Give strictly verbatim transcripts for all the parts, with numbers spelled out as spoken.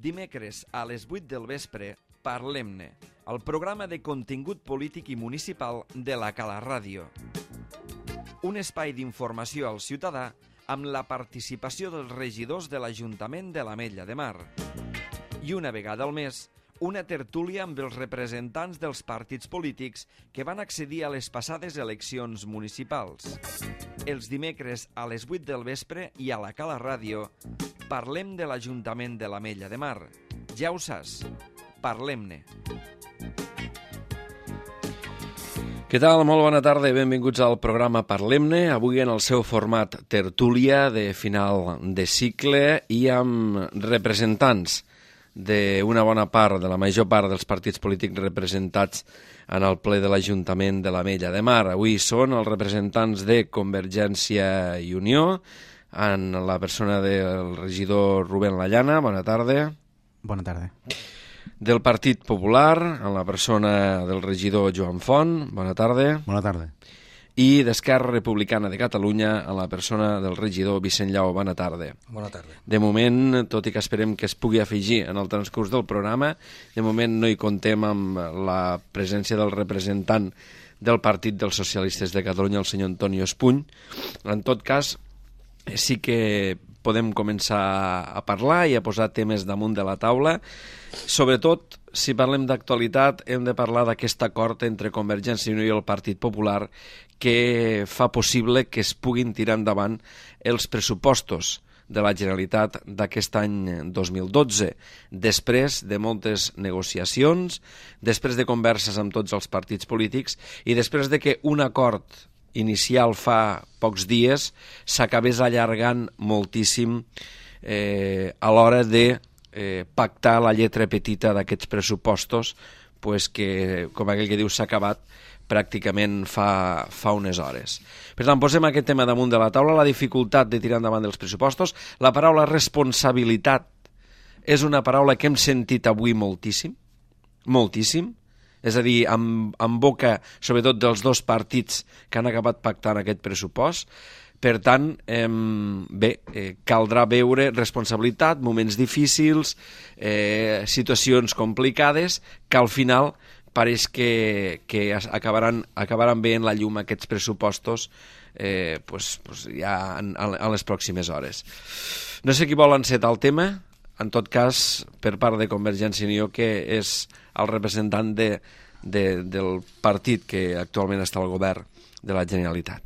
Dimecres a les vuit del vespre, Parlem-ne, el programa de contingut polític i municipal de la Cala Ràdio. Un espai d'informació al ciutadà amb la participació dels regidors de l'Ajuntament de l'Ametlla de Mar. I una vegada al mes, una tertúlia amb els representants dels partits polítics que van accedir a les passades eleccions municipals. Els dimecres a les vuit del vespre i a la Cala Ràdio parlem de l'Ajuntament de l'Ametlla de Mar. Ja ho saps, parlem-ne. Què tal? Molt bona tarda i benvinguts al programa Parlem-ne. Avui en el seu format tertúlia de final de cicle i amb representants d'una bona part, de la major part dels partits polítics representats en el ple de l'Ajuntament de l'Ametlla de Mar. Avui són els representants de Convergència i Unió, en la persona del regidor Rubén Lallana. Bona tarda. Bona tarda. Del Partit Popular, en la persona del regidor Joan Font. Bona tarda. Bona tarda. I d'Esquerra Republicana de Catalunya, en la persona del regidor Vicent Llau. Bona tarda. Bona tarda. De moment, tot i que esperem que es pugui afegir en el transcurs del programa, de moment no hi contem amb la presència del representant del Partit dels Socialistes de Catalunya, el senyor Antonio Espuny. En tot cas, sí que podem començar a parlar i a posar temes damunt de la taula. Sobretot, si parlem d'actualitat, hem de parlar d'aquest acord entre Convergència i Unió i el Partit Popular que fa possible que es puguin tirar endavant els pressupostos de la Generalitat d'aquest any dos mil dotze, després de moltes negociacions, després de converses amb tots els partits polítics i després de que un acord inicial fa pocs dies s'acabés allargant moltíssim eh, a l'hora de eh, pactar la lletra petita d'aquests pressupostos, pues que, com aquell que diu, s'ha acabat pràcticament fa, fa unes hores. Per tant, posem aquest tema damunt de la taula, la dificultat de tirar endavant els pressupostos. La paraula responsabilitat és una paraula que hem sentit avui moltíssim, moltíssim, és a dir, amb, amb boca, sobretot dels dos partits que han acabat pactant aquest pressupost. Per tant, eh, bé, eh, caldrà veure responsabilitat, moments difícils, eh, situacions complicades, que al final pareix que, que acabaran, acabaran veient la llum aquests pressupostos eh, pues, pues ja en, en les pròximes hores. No sé qui vol encetar el tema, en tot cas, per part de Convergència i Unió, que és el representant de, de, del partit que actualment està al govern de la Generalitat.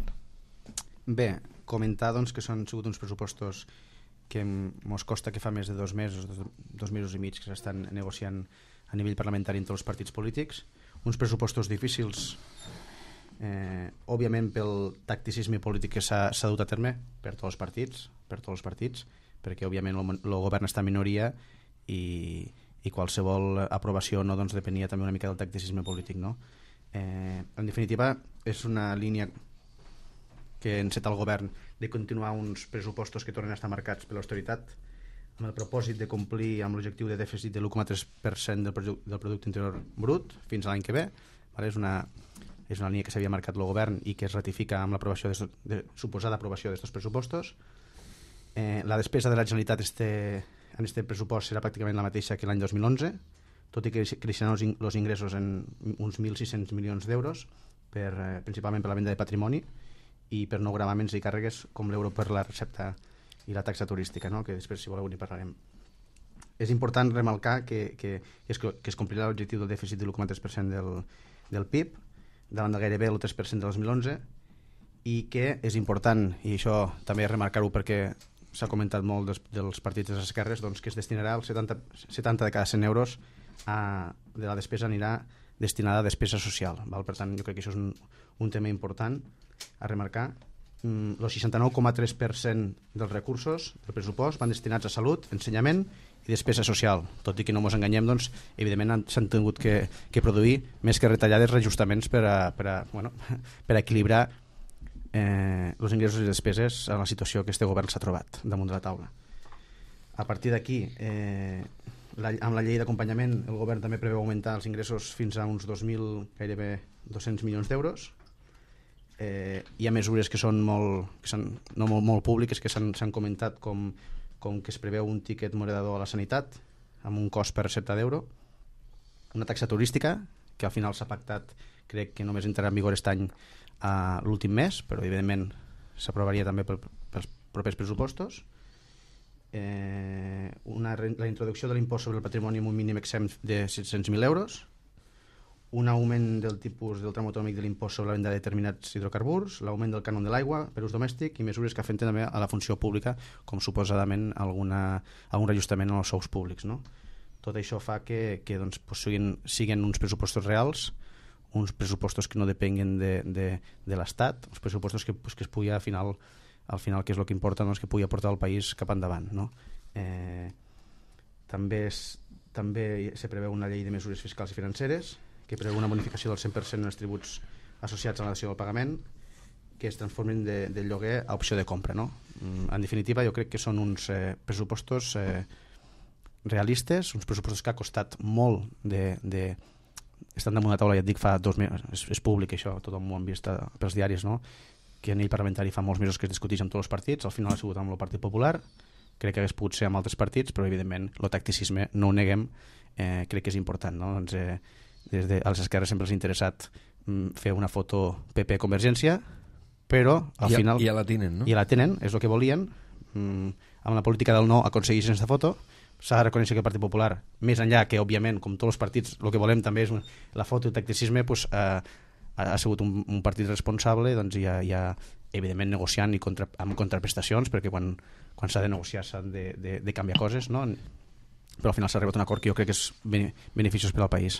Bé, comentar doncs, que són sigut uns pressupostos que ens costa que fa més de dos mesos, dos, dos mesos i mig que s'estan negociant a nivell parlamentari entre els partits polítics, uns pressupostos difícils, eh, òbviament pel tacticisme polític que s'ha dut a terme per tots els partits, per tots els partits, perquè òbviament el govern està en minoria i, i qualsevol aprovació no, doncs, depenia també una mica del tacticisme polític. No? Eh, en definitiva, és una línia que enceta el govern de continuar uns pressupostos que tornen a estar marcats per l'austeritat, amb el propòsit de complir amb l'objectiu de dèficit de l'u coma tres per cent del, del producte interior brut fins a l'any que ve. Vale? És, una, és una línia que s'havia marcat el govern i que es ratifica amb l'aprovació de, de suposada aprovació d'aquests pressupostos. Eh, la despesa de la Generalitat este, en aquest pressupost serà pràcticament la mateixa que l'any dos mil onze, tot i que creixeran els, in, els ingressos en uns mil sis-cents milions d'euros, per, eh, principalment per la venda de patrimoni i per no gravaments i càrregues com l'euro per la recepta i la taxa turística, no? Que després, si voleu, n'hi parlarem. És important remarcar que, que, que, es, que es complirà l'objectiu del dèficit de l'u coma tres per cent del, del P I B, davant de gairebé el tres per cent del dos mil onze, i que és important, i això també remarcar-ho perquè s'ha comentat molt dels, dels partits de les esquerres, doncs que es destinarà el setanta, setanta de cada cent euros a, de la despesa anirà destinada a despesa social. Val? Per tant, jo crec que això és un, un tema important a remarcar. El seixanta-nou coma tres per cent dels recursos del pressupost van destinats a salut, ensenyament i despesa social, tot i que no ens enganyem, doncs, evidentment s'han tingut que, que produir més que retallades reajustaments per a, per a, bueno, per a equilibrar eh, els ingressos i despeses en la situació que este govern s'ha trobat damunt de la taula. A partir d'aquí, eh, la, amb la llei d'acompanyament, el govern també preveu augmentar els ingressos fins a uns dos mil, gairebé dos-cents milions d'euros. Eh, hi ha mesures que són molt, que són, no molt, molt públiques, que s'han comentat, com, com que es preveu un tiquet moderador a la sanitat, amb un cost per recepta d'euro, una taxa turística que al final s'ha pactat, crec que només entrarà en vigor aquest any a l'últim mes, però evidentment s'aprovaria també pel, pels propers pressupostos, eh, una, la introducció de l'impost sobre el patrimoni amb un mínim exempt de set-cents mil euros, un augment del tipus del tram autonòmic de l'impost sobre la venda de determinats hidrocarburs, l'augment del cànon de l'aigua per ús domèstic i mesures que afecten també a la funció pública, com suposadament alguna, algun reajustament en els sous públics, no? Tot això fa que, que doncs, pues, siguin, siguin uns pressupostos reals, uns pressupostos que no depenguen de, de, de l'Estat, uns pressupostos que, pues, que es pugui al final, al final que és el que importa, doncs, que pugui aportar el país cap endavant, no? Eh, també, es, també se preveu una llei de mesures fiscals i financeres que preveu una bonificació del cent per cent en els tributs associats a la dació del pagament, que es transformin de, de lloguer a opció de compra, no? En definitiva, jo crec que són uns eh, pressupostos eh, realistes, uns pressupostos que ha costat molt de... de estan damunt la taula, ja et dic, fa dos mesos, és, és públic això, tothom ho han vist pels diaris, no? Que a nivell parlamentari fa molts mesos que es discuteix amb tots els partits, al final ha sigut amb el Partit Popular, crec que hagués pogut ser amb altres partits, però evidentment el tacticisme no ho neguem, eh, crec que és important, no? Doncs, eh, des de a les esquerres sempre els ha interessat mm, fer una foto P P Convergència, però al I, final... I ja la tenen, no? I ja la tenen, és el que volien. Mm, amb la política del no aconsegueixen aquesta foto. S'ha de reconèixer que el Partit Popular, més enllà que, òbviament, com tots els partits, el que volem també és la foto i el tacticisme, pues, eh, ha sigut un, un partit responsable, doncs ja, ja evidentment negociant i contra, amb contraprestacions, perquè quan, quan s'ha de negociar s'han de, de, de canviar coses, no? Però al final s'ha arribat a un acord que jo crec que és beneficiós per al país.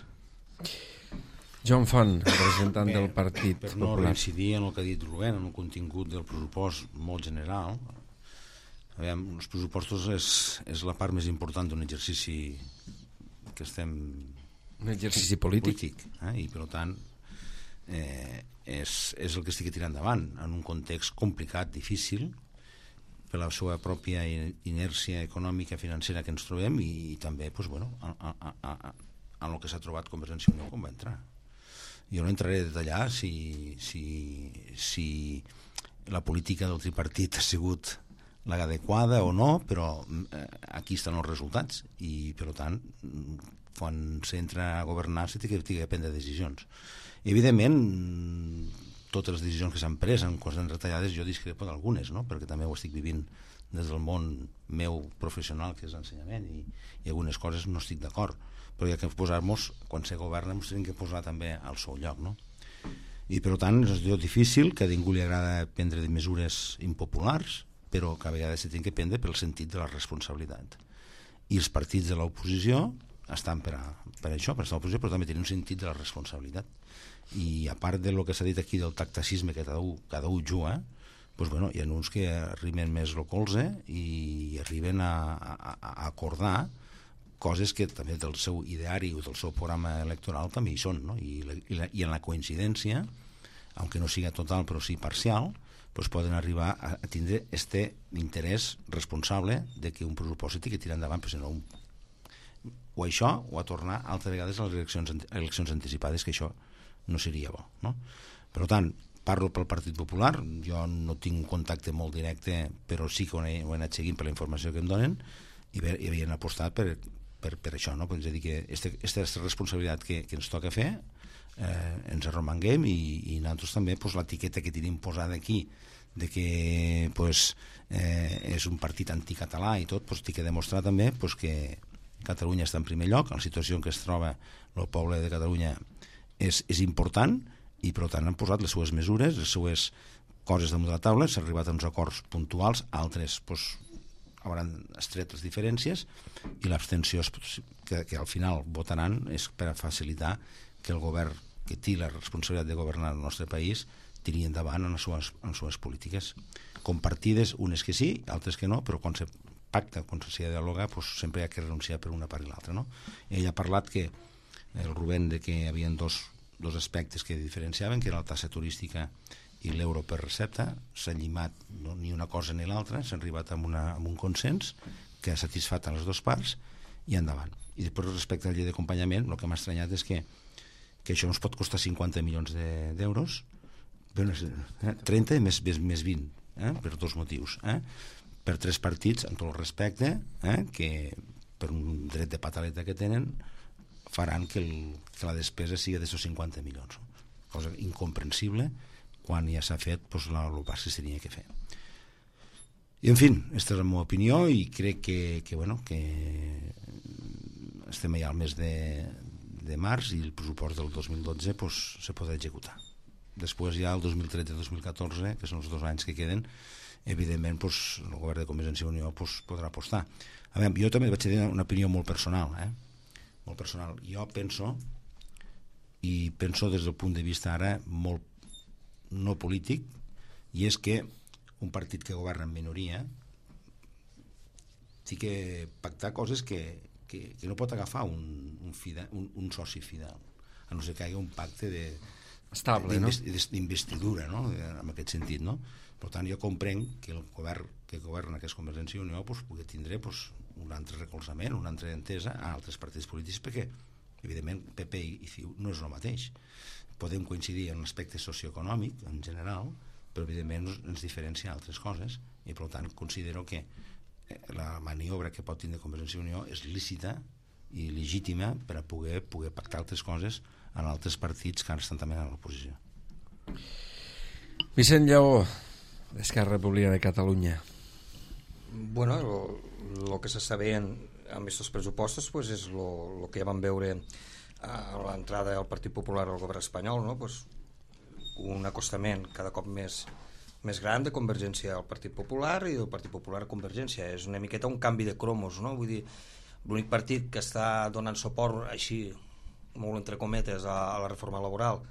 Joan Font, representant Bé, del Partit per no Popular. reincidir en el que ha dit Rubén, en el contingut del pressupost molt general, aviam, els pressupostos és, és la part més important d'un exercici que estem... Un exercici polític. polític eh? I per tant eh, és, és el que estic tirant endavant en un context complicat, difícil, per la seva pròpia inèrcia econòmica financera que ens trobem i, i també pues, bueno, a, a, a, a, en el que s'ha trobat Convergència i Unió quan va entrar. Jo no entraré a detallar si, si, si la política del tripartit ha sigut l'adequada o no, però eh, aquí estan els resultats i per tant quan s'entra a governar s'ha de prendre decisions. Evidentment totes les decisions que s'han pres en coses retallades jo discrepo d'algunes, no? Perquè també ho estic vivint des del món meu professional, que és l'ensenyament, i, i algunes coses no estic d'acord, però hi ha que posar-nos, quan se governa ens hem que posar també al seu lloc, no? I per tant és un difícil, que a ningú li agrada prendre mesures impopulars, però que a vegades s'ha de prendre pel sentit de la responsabilitat. I els partits de l'oposició estan per, a, per això, per estar a l'oposició, però també tenen un sentit de la responsabilitat. I a part del que s'ha dit aquí del tactacisme que cada un, cada un juga, doncs, bueno, hi ha uns que arriben més el colze i arriben a, a, a acordar coses que també del seu ideari o del seu programa electoral també hi són, no? I, la, i, la, i en la coincidència, aunque no siga total però sí parcial, doncs poden arribar a, a tindre este interès responsable de que un pressupost s'ha de tirar endavant, però si no un... o això o a tornar altres vegades a les eleccions, eleccions anticipades, que això no seria bo, no? Per tant, parlo pel Partit Popular, jo no tinc un contacte molt directe, però sí que ho he, ho he anat seguint per la informació que em donen i, bé, i havien apostat per, per, per això, no? És a dir, que aquesta responsabilitat que, que ens toca fer eh, ens arromanguem i, i nosaltres també pues, l'etiqueta que tenim posada aquí de que pues, eh, és un partit anticatalà i tot, pues, tinc que demostrar també pues, que Catalunya està en primer lloc, en la situació en què es troba el poble de Catalunya és, és important i per tant han posat les seues mesures, les seues coses damunt de la taula, s'ha arribat a uns acords puntuals, altres pues, hauran estret les diferències i l'abstenció que, que al final votaran és per a facilitar que el govern que té la responsabilitat de governar el nostre país tiri endavant en les seves, en les seves polítiques compartides, unes que sí, altres que no, però quan se pacta, quan s'ha de dialogar, pues, sempre hi ha que renunciar per una part i l'altra, no? Ell ha parlat que el Rubén de que hi havia dos, dos aspectes que diferenciaven, que era la tassa turística i l'euro per recepta. S'ha llimat no, ni una cosa ni l'altra, s'ha arribat a, una, a un consens que ha satisfat a les dues parts i endavant. I després respecte a la llei d'acompanyament, el que m'ha estranyat és que, que això ens pot costar cinquanta milions d'euros, de, eh, trenta més, més, més vint, eh, per dos motius, eh? Per tres partits, amb tot el respecte, eh, que per un dret de pataleta que tenen, faran que, el, que la despesa sigui d'aquests cinquanta milions. Cosa incomprensible quan ja s'ha fet pues, el pas que s'havia que fer. I, en fi, aquesta és la meva opinió i crec que, que, bueno, que estem ja al mes de, de març i el pressupost del dos mil dotze pues, se podrà executar. Després ja el dos mil tretze dos mil catorze, que són els dos anys que queden, evidentment pues, el govern de Convergència i Unió pues, podrà apostar. A veure, jo també vaig dir una opinió molt personal, eh? molt personal. Jo penso, i penso des del punt de vista ara molt no polític, i és que un partit que governa en minoria té que pactar coses que, que, que no pot agafar un, un, fidel, un, un soci fidel, a no ser que hi hagi un pacte de, estable, no? d'investidura, no? En aquest sentit, no? Per tant, jo comprenc que el govern que governa que és Convergència i Unió pues, pugui tindre pues, un altre recolzament, una altra entesa a altres partits polítics, perquè evidentment P P i C I U no és el mateix. Podem coincidir en l'aspecte socioeconòmic en general, però evidentment ens diferencia altres coses i per tant considero que la maniobra que pot tindre Convergència i Unió és lícita i legítima per a poder, poder pactar altres coses en altres partits que ara estan també a l'oposició. Vicent Lleó, d'Esquerra Republicana de Catalunya. Bueno, el que s'està veient amb aquests pressupostos pues, és el que ja vam veure a l'entrada del Partit Popular al govern espanyol, no? Pues, un acostament cada cop més, més gran de Convergència al Partit Popular i del Partit Popular a Convergència. És una miqueta un canvi de cromos, no? Vull dir, l'únic partit que està donant suport així, molt entre cometes, a, a la reforma laboral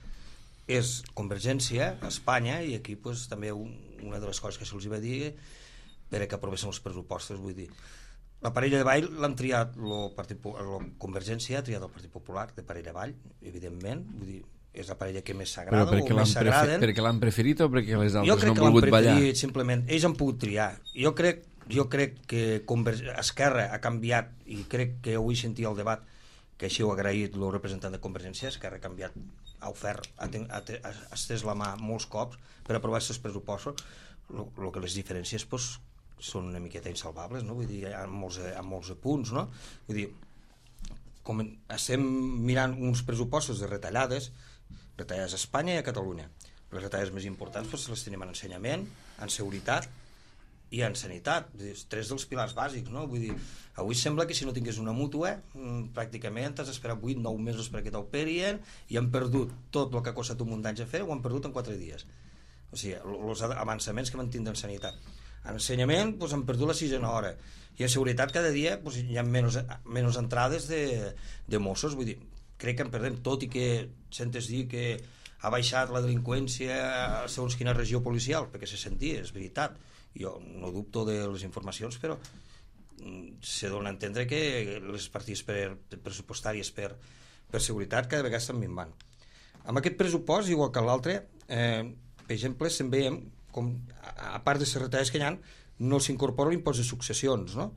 és Convergència a Espanya, i aquí pues, també un, una de les coses que se'ls va dir per a que aprovessin els pressupostos. Vull dir, la parella de ball l'han triat el Partit, la Convergència ha triat el Partit Popular de parella de ball, evidentment. Vull dir, és la parella que més s'agrada o més s'agraden. Perquè l'han preferit o perquè les altres no han volgut ballar? Jo crec que l'han preferit, simplement. Ells han pogut triar. Jo crec, jo crec que Esquerra ha canviat, i crec que avui sentia el debat, que així ho ha agraït el representant de Convergència. Esquerra ha canviat, ha ofert, ha, ten, ha, ha estès la mà molts cops per aprovar aquests pressupostos. El que les diferències pues, són una miqueta insalvables, no? Vull dir, hi ha molts, hi ha molts punts, no? Vull dir, com estem mirant uns pressupostos de retallades, retallades a Espanya i a Catalunya. Les retallades més importants pues, les tenim en ensenyament, en seguretat i en sanitat, tres dels pilars bàsics, no? Vull dir, avui sembla que si no tingués una mútua, pràcticament has d'esperar vuit nou mesos perquè t'operien i han perdut tot el que ha costat un munt d'anys a fer, ho han perdut en quatre dies. O sigui, els avançaments que van tindre en sanitat. En ensenyament doncs, han perdut la sisena hora, i en seguretat cada dia doncs, hi ha menys, menys entrades de, de Mossos. Vull dir, crec que en perdem, tot i que sentes dir que ha baixat la delinqüència segons quina regió policial, perquè se sentia, és veritat. Jo no dubto de les informacions, però se dona a entendre que les partides per, pressupostàries per, per seguretat cada vegada estan minvant. Amb aquest pressupost, igual que l'altre, eh, per exemple, se'n veiem com, a part de les retallades que hi ha, no s'incorpora l'impost de successions, no?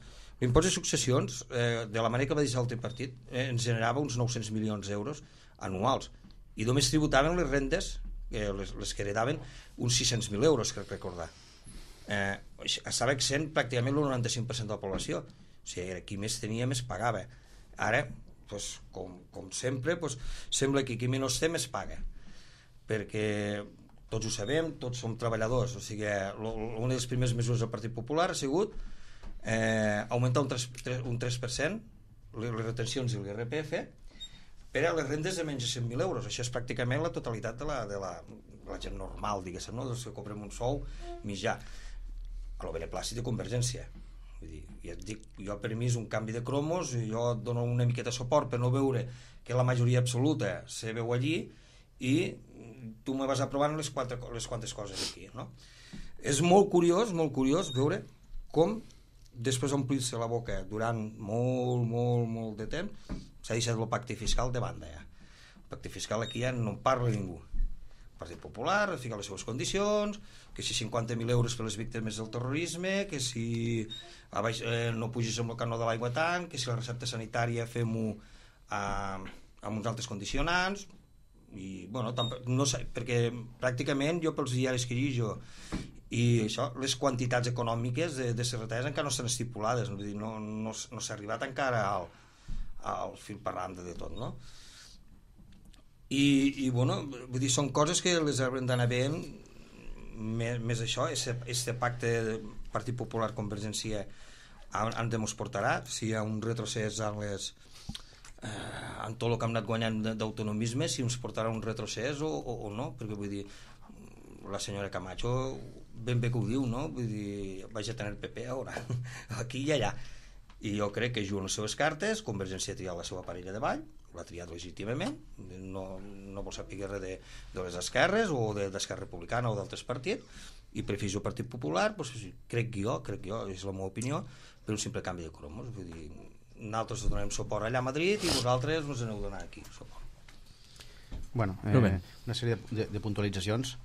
L'impost de successions, eh, de la manera que va deixar el tripartit, eh, ens generava uns nou-cents milions d'euros anuals, i només tributaven les rendes, eh, les, les que heredaven, uns sis-cents mil euros, crec recordar. Eh, estava exempt pràcticament el noranta-cinc per cent de la població. O sigui, qui més tenia més pagava. Ara, pues, com, com sempre, pues, sembla que qui menys té més paga, perquè tots ho sabem, tots som treballadors. O sigui, una de les primeres mesures del Partit Popular ha sigut eh, augmentar un tres, un tres per cent les retencions i l'I R P F per a les rendes de menys de cent mil euros. Això és pràcticament la totalitat de la, de la, de la gent normal, diguéssim, no? Dels que cobrem un sou mitjà, a lo beneplàcit de Convergència. Vull dir, ja et dic, jo per mi és un canvi de cromos, jo dono una miqueta de suport per no veure que la majoria absoluta se veu allí i tu me vas aprovant les, quatre, les quantes coses aquí, no? És molt curiós, molt curiós veure com després d'omplir-se la boca durant molt, molt, molt de temps s'ha deixat el pacte fiscal de banda ja. El pacte fiscal aquí ja no en parla ningú. El Partit Popular fica les seves condicions, que si cinquanta mil euros per les víctimes del terrorisme, que si a baix, eh, no pugis amb el canó de l'aigua tant, que si la recepta sanitària fem-ho eh, amb uns altres condicionants, i bueno, tampoc, no sé, perquè pràcticament jo pels diaris que llegeixo i això, les quantitats econòmiques de, de les retallades encara no s'han estipulades, vull dir, no, no, no s'ha arribat encara al, al fil per randa de tot, no? I, i bueno, vull dir, són coses que les haurem d'anar veient, més, més això, este pacte Partit Popular Convergència on ens portarà, si hi ha un retrocés en les eh, en tot el que hem anat guanyant d'autonomisme, si ens portarà un retrocés o, o, o no, perquè vull dir, la senyora Camacho ben bé que ho diu, no? Vull dir, vaig a tenir P P ara, aquí i allà, i jo crec que juguen les seves cartes. Convergència ha triat la seva parella de ball, l'ha triat legítimament, no, no vol saber res de, de les esquerres o de d'Esquerra Republicana o d'altres partits, i prefereix el Partit Popular, doncs, crec jo, crec jo, és la meva opinió, per un simple canvi de cromos. Vull dir, nosaltres donem suport allà a Madrid i vosaltres ens aneu donant aquí suport. Bueno, eh, una sèrie de, de, de puntualitzacions.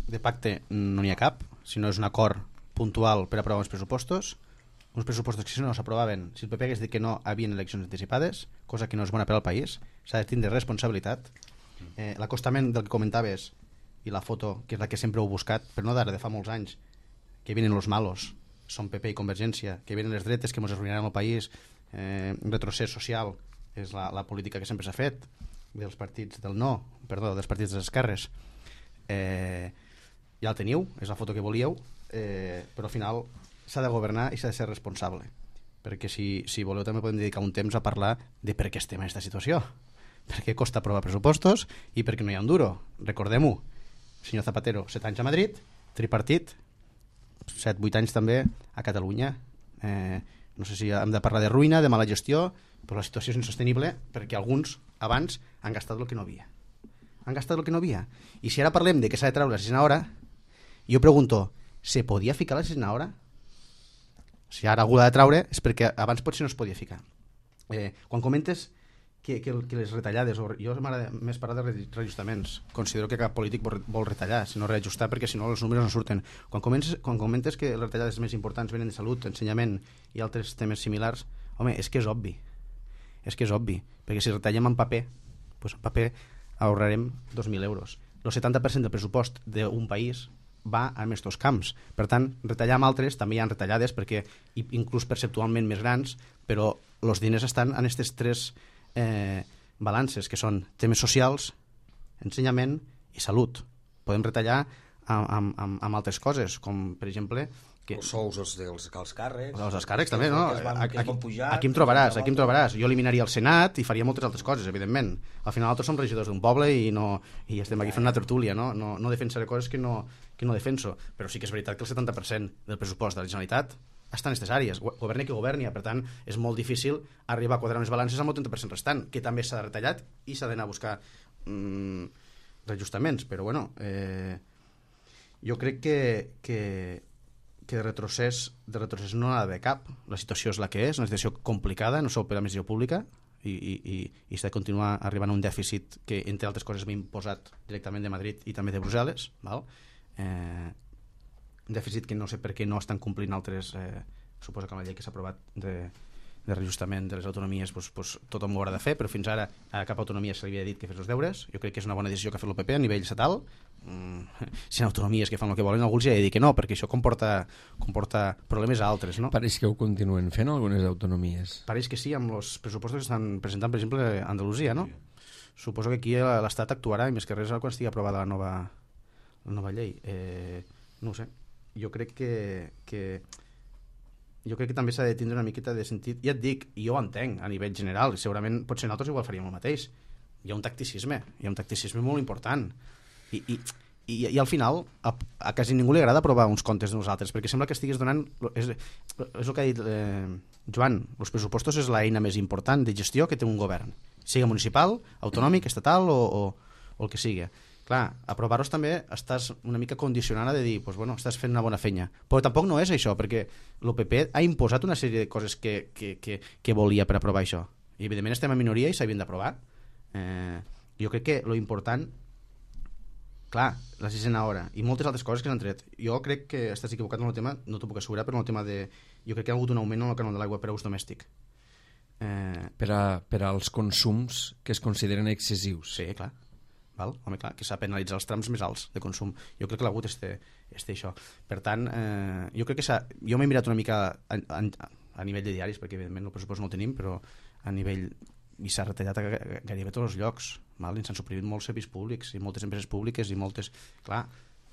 De pacte no n'hi ha cap, sinó és un acord puntual per aprovar uns pressupostos, uns pressupostos que si no s'aprovaven, si el P P hagués dit que no, havien eleccions anticipades, cosa que no és bona per al país, s'ha de tindre responsabilitat. Eh, l'acostament del que comentaves i la foto, que és la que sempre heu buscat, però no d'ara, de fa molts anys, que vienen los malos, són P P i Convergència, que vienen les dretes que ens arruïnaran el país, eh, un retrocés social, és la, la política que sempre s'ha fet dels partits del no, perdó, dels partits de les esquerres. Eh, ja el teniu, és la foto que volíeu, eh, però al final s'ha de governar i s'ha de ser responsable, perquè si, si voleu també podem dedicar un temps a parlar de per què estem en aquesta situació, perquè costa aprovar pressupostos i perquè no hi ha un duro. Recordem-ho, senyor Zapatero, set anys a Madrid, tripartit, set, vuit anys també a Catalunya. Eh, no sé si hem de parlar de ruïna, de mala gestió, però la situació és insostenible perquè alguns abans han gastat el que no havia. Han gastat el que no havia. I si ara parlem de que s'ha de treure la sisena hora, jo pregunto, se podia ficar la sisena hora? Si ara algú l'ha de treure és perquè abans potser no es podia ficar. Eh, quan comentes que, que, que les retallades, jo m'agrada més parlar de reajustaments, considero que cap polític vol retallar, sinó reajustar, perquè si no els números no surten. Quan comentes, quan comentes que les retallades més importants venen de salut, ensenyament i altres temes similars, home, és que és obvi. És que és obvi, perquè si retallem en paper, doncs en paper ahorrarem dos mil euros. El setanta per cent del pressupost d'un país va a aquests camps. Per tant, retallar amb altres també hi ha retallades, perquè inclús perceptualment més grans, però els diners estan en aquestes tres eh, balances, que són temes socials, ensenyament i salut. Podem retallar amb, amb, amb altres coses, com per exemple que... els sous els dels els càrrecs, els dels càrrecs també, no? Van, aquí, pujar, aquí em trobaràs, aquí em trobaràs. Jo eliminaria el Senat i faria moltes altres coses, evidentment. Al final nosaltres som regidors d'un poble i, no, i estem aquí fent una tertúlia, no? No, no defensaré coses que no, que no defenso, però sí que és veritat que el setanta per cent del pressupost de la Generalitat està en aquestes àrees, governi que governi, per tant és molt difícil arribar a quadrar unes balances amb el trenta per cent restant, que també s'ha de retallat i s'ha d'anar a buscar mm, reajustaments, però bueno, eh, jo crec que, que que de retrocés, de retrocés no n'ha d'haver cap. La situació és la que és, una situació complicada, no sol per l'administració pública, i, i, i s'ha de continuar arribant a un dèficit que, entre altres coses, va imposat directament de Madrid i també de Brussel·les, val? Eh, un dèficit que no sé per què no estan complint altres, eh, suposo que amb la llei que s'ha aprovat de, de reajustament de les autonomies, pues, pues, tothom ho haurà de fer, però fins ara a cap autonomia se li havia dit que fes els deures. Jo crec que és una bona decisió que ha fet el P P a nivell estatal. Mm, si hi ha autonomies que fan el que volen, algú els hi ha de dir que no, perquè això comporta, comporta problemes a altres, no? Pareix que ho continuen fent algunes autonomies. Pareix que sí, amb els pressupostos que estan presentant, per exemple, a Andalusia, no? Sí. Suposo que aquí l'Estat actuarà, i més que res quan estigui aprovada la nova, la nova llei. Eh, no ho sé. Jo crec que, que jo crec que també s'ha de tindre una miqueta de sentit. Ja et dic, i jo ho entenc a nivell general, segurament potser nosaltres igual faríem el mateix. Hi ha un tacticisme, hi ha un tacticisme molt important. I, i, i, i al final a, a quasi ningú li agrada aprovar uns comptes de nosaltres, perquè sembla que estigués donant és, és el que ha dit eh, Joan, els pressupostos és l'eina més important de gestió que té un govern, sigui municipal, autonòmic, estatal o, o, o el que sigui. Clar, aprovar-los també estàs una mica condicionada de dir, pues, bueno, estàs fent una bona feina, però tampoc no és això, perquè el P P ha imposat una sèrie de coses que, que, que, que volia per aprovar això, i evidentment estem en minoria i s'havien d'aprovar. eh, jo crec que lo important, clar, la sisena hora i moltes altres coses que s'han tret. Jo crec que estàs equivocat en el tema, no t'ho puc assegurar, però en el tema de... Jo crec que hi ha hagut un augment en el cànon de l'aigua per a ús domèstic. Eh... Per, a, per als consums que es consideren excessius. Sí, clar. val? Home, clar, que s'ha penalitzat els trams més alts de consum. Jo crec que l'ha hagut este, este això. Per tant, eh, jo crec que s'ha... Jo m'he mirat una mica a, a, a nivell de diaris, perquè evidentment el pressupost no el tenim, però a nivell... i s'ha retallat a gairebé tots els llocs, val? I s'han suprimit molts serveis públics i moltes empreses públiques i moltes... Clar,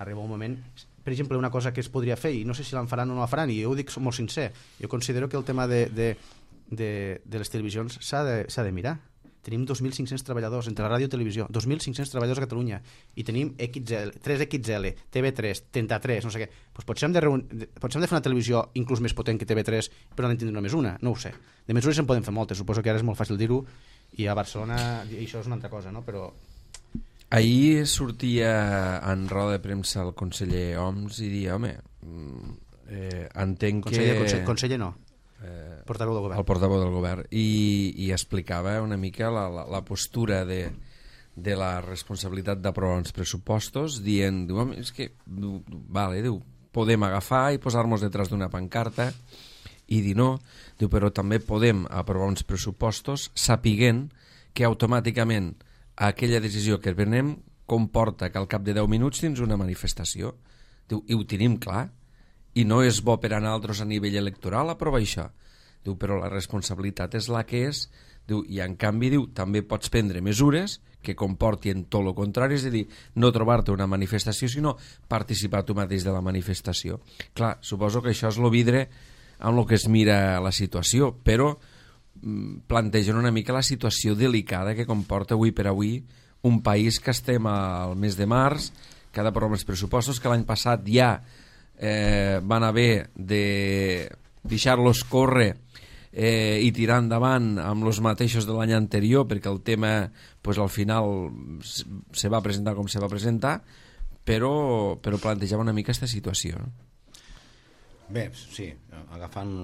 arriba un moment... Per exemple, una cosa que es podria fer, i no sé si la faran o no la faran, i jo ho dic molt sincer, jo considero que el tema de, de, de, de les televisions s'ha de, s'ha de mirar. Tenim dos mil cinc-cents treballadors entre la ràdio i televisió, dos mil cinc-cents treballadors a Catalunya, i tenim X L, tres X L, T V tres, trenta-tres, no sé què. Pues potser, hem de reun... potser hem de fer una televisió inclús més potent que T V tres, però n'hem de tindre només una, no ho sé. De mesures en podem fer moltes, suposo que ara és molt fàcil dir-ho, i a Barcelona i això és una altra cosa, no? Però... Ahir sortia en roda de premsa el conseller Homs i dia, home, eh, entenc conseller, que... Conseller, conseller no, eh, portaveu del govern. El portaveu del govern. I, i explicava una mica la, la, la postura de, de la responsabilitat d'aprovar uns pressupostos, dient, diu, home, és que, diu, vale, diu, podem agafar i posar-nos detrás d'una pancarta i dir no, diu, però també podem aprovar uns pressupostos sapiguent que automàticament aquella decisió que prenem comporta que al cap de deu minuts tens una manifestació. Diu, i ho tenim clar, i no és bo per a nosaltres a nivell electoral aprovar això. Diu, però la responsabilitat és la que és, diu, i en canvi diu, també pots prendre mesures que comportin tot el contrari, és a dir, no trobar-te una manifestació, sinó participar tu mateix de la manifestació. Clar, suposo que això és el vidre amb el que es mira la situació, però plantegen una mica la situació delicada que comporta avui per avui un país que estem al mes de març, que ha d'aprovar els pressupostos, que l'any passat ja eh, van haver de deixar-los córrer eh, i tirar endavant amb els mateixos de l'any anterior, perquè el tema pues, al final se va presentar com se va presentar, però, però plantejava una mica aquesta situació. No? Bé, sí, agafant...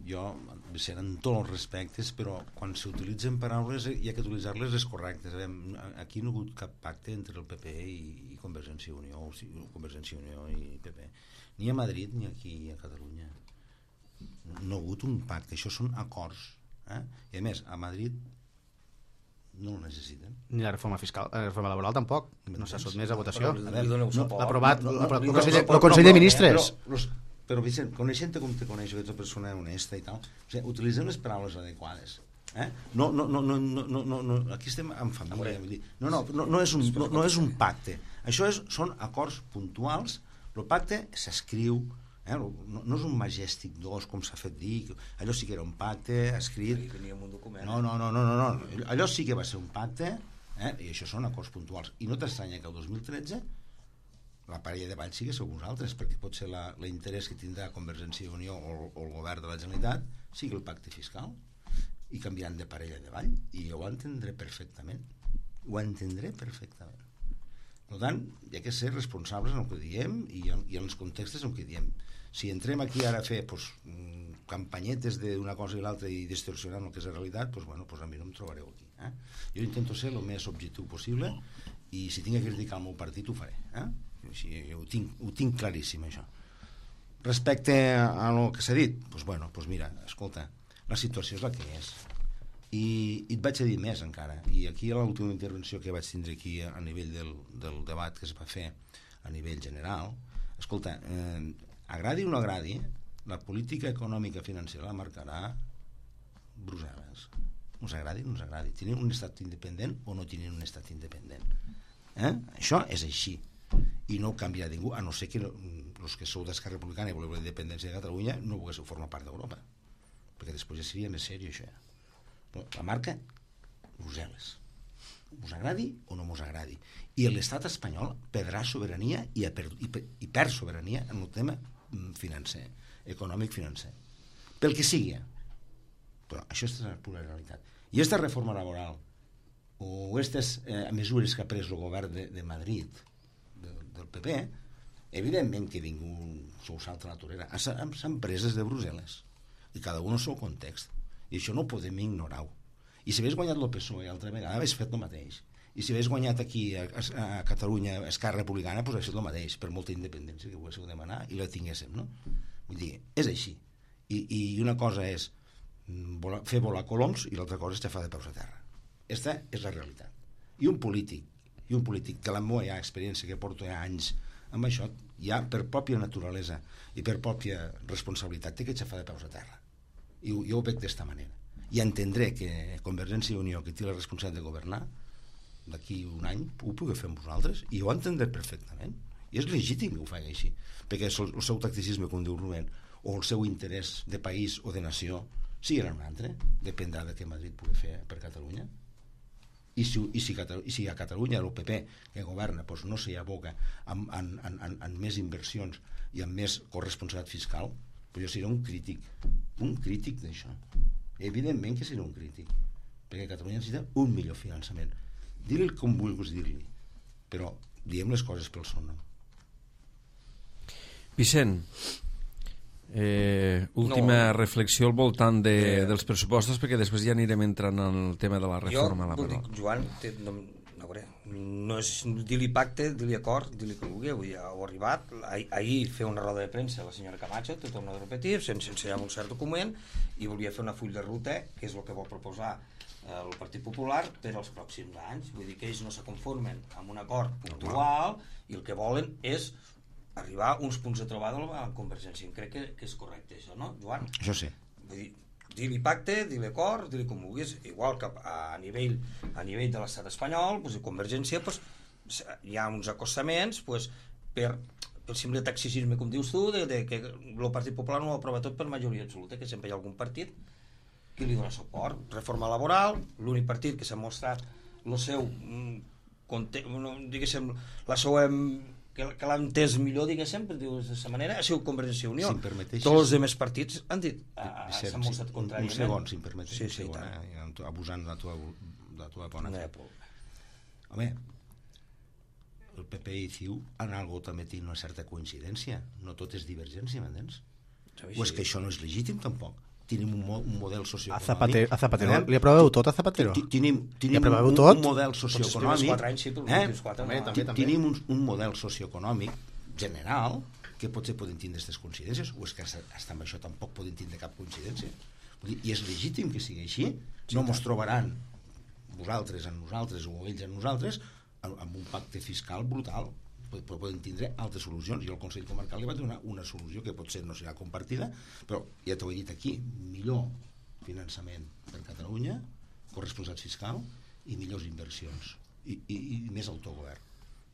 jo, seran tots els respectes, però quan s'utilitzen paraules hi ha que utilitzar-les les correctes. Aquí no ha hagut cap pacte entre el P P i, i Convergència i Unió, o sigui, Convergència i Unió i P P, ni a Madrid ni aquí a Catalunya. No ha hagut un pacte, això són acords, eh? I a més, a Madrid no ho necessiten. Ni la reforma fiscal, la reforma laboral tampoc, no s'ha sotmès a votació. L'ha aprovat el Consell de Ministres. Però, Vicent, coneixent-te com te coneixo, que ets una persona honesta i tal, o sigui, utilitzem les paraules adequades. Eh? No, no, no, no, no, no, no, aquí estem en família. Vull dir, no, no, no, no, és un, no, no és un pacte. Això és, són acords puntuals. El pacte s'escriu, eh? no, no és un Majestic dos, com s'ha fet dir, allò sí que era un pacte escrit. No, no, no, no, no, no. Allò sí que va ser un pacte, eh? I això són acords puntuals. I no t'estranya que el dos mil tretze la parella de ball sigui sou vosaltres, perquè pot ser l'interès que tindrà Convergència i Unió o, o el govern de la Generalitat sigui el pacte fiscal i canviaran de parella de ball, i jo ho entendré perfectament, ho entendré perfectament. Per tant, hi ha que ser responsables en el que diem i en, i en els contextos en què diem. Si entrem aquí ara a fer pues, campanyetes d'una cosa i l'altra i distorsionant el que és la realitat, pues, bueno, pues a mi no em trobareu aquí. Eh? Jo intento ser el més objectiu possible i si tinc que criticar el meu partit ho faré. Eh? Així, ho, tinc, ho tinc claríssim, això. Respecte a el que s'ha dit, doncs, bueno, doncs mira, escolta, la situació és la que és. I, i et vaig a dir més encara, i aquí a l'última intervenció que vaig tindre aquí a nivell del, del debat que es va fer a nivell general, escolta, eh, agradi o no agradi, la política econòmica financera la marcarà Brussel·les. Us agradi o no us agradi. Tenim un estat independent o no tenim un estat independent. Eh? Això és així. I no ho canviarà ningú, a no ser que els que sou d'Esquerra Republicana i voleu la independència de Catalunya no volguéssiu formar part d'Europa, perquè després ja seria més seriós això. Però la marca Brussel·les, us agradi o no us agradi, i l'estat espanyol perdrà sobirania i, per, i, per, i perd sobirania en el tema financer, econòmic financer, pel que sigui. Però això és la pura realitat. I aquesta reforma laboral o aquestes eh, mesures que ha pres el govern de, de Madrid del P P, evidentment que ningú s'ho salta la torera. Són preses de Brussel·les i cada un al seu context, i això no ho podem ignorar-ho. I si hagués guanyat el P S O E altra vegada hagués fet el mateix, i si hagués guanyat aquí a, a Catalunya Esquerra Republicana doncs hagués fet el mateix, per molta independència que poguéssiu demanar i la tinguéssim, no? Vull dir, és així, i, i una cosa és volar, fer volar coloms i l'altra cosa és xafar de peus a terra. Aquesta és la realitat. I un polític i i un polític que la meva experiència, que porto ja anys amb això, ja per pròpia naturalesa i per pròpia responsabilitat té que aixafar de peus a terra. I jo ho veig d'esta manera. I entendré que Convergència i Unió, que té la responsabilitat de governar, d'aquí un any ho pugui fer amb vosaltres, i ho entendré perfectament. I és legítim que ho faci així, perquè el seu tacticisme, com diu Rubén, o el seu interès de país o de nació, si era un altre, dependrà de què Madrid pugui fer per Catalunya. I si, i si, i si a Catalunya el P P que governa doncs no s'hi aboca en, en, en, en més inversions i amb més corresponsabilitat fiscal, doncs jo seré un crític, un crític d'això. Evidentment que seré un crític, perquè Catalunya necessita un millor finançament. Dir-li com vulguis dir-li, però diem les coses pel seu nom. Vicent, eh, última no. reflexió al voltant de, eh, dels pressupostos, perquè després ja anirem entrant en el tema de la reforma jo, laboral. Jo, Joan, te, no, no, veure, no és dir-li pacte, dir-li acord, dir-li que vulgui, avui ja ho ha arribat. Ah, ahir fer una roda de premsa la senyora Camacho, t'ho torno a repetir, sense ensenyar un cert document, i volia fer una full de ruta, que és el que vol proposar el Partit Popular per als pròxims anys. Vull dir que ells no se conformen amb un acord puntual i el que volen és arribar a uns punts de trobada a la Convergència. Crec que, que és correcte això, no, Joan? Això sí. Vull dir, dir-li pacte, dir-li acord, dir-li com vulguis, igual que a nivell, a nivell de l'estat espanyol, doncs, a Convergència doncs, hi ha uns acostaments doncs, per, per simple taxisme, com dius tu, de, de que el Partit Popular no ho aprova tot per majoria absoluta, que sempre hi ha algun partit que li dona suport. Reforma laboral, l'únic partit que s'ha mostrat el seu, no, diguéssim, la seva, que, que l'ha entès millor, diguéssim, per dir-ho d'aquesta manera, ha sigut Convergència i Unió. Si em permeteixes... Tots els altres partits han dit, s'han mostrat sí, contràriament. Un segon, si em permeteixes, sí, sí, un segon, eh? Abusant de la tua, de la tua bona fe. Home, el P P i C I U en algo també tenen una certa coincidència. No tot és divergència, m'entens? O és que això no és legítim, tampoc? Tenim un, mo un model socioeconòmic. A Zapatero, a Zapatero. Li aproveu tot a Zapatero? Tenim, tenim un, un, un model socioeconòmic. Anys, sí, eh? quatre, també, també, també. Tenim un, un model socioeconòmic general que potser poden tindre aquestes coincidències, o és que hasta amb això tampoc poden tindre cap coincidència. Vull dir, i és legítim que sigui així. No mos trobaran vosaltres en nosaltres o ells en nosaltres amb un pacte fiscal brutal. Poden tindre altres solucions, i el Consell Comarcal li va donar una solució que potser no serà compartida, però ja t'ho he dit aquí, millor finançament per Catalunya, corresponsabilitat fiscal i millors inversions i, i, i més autogovern.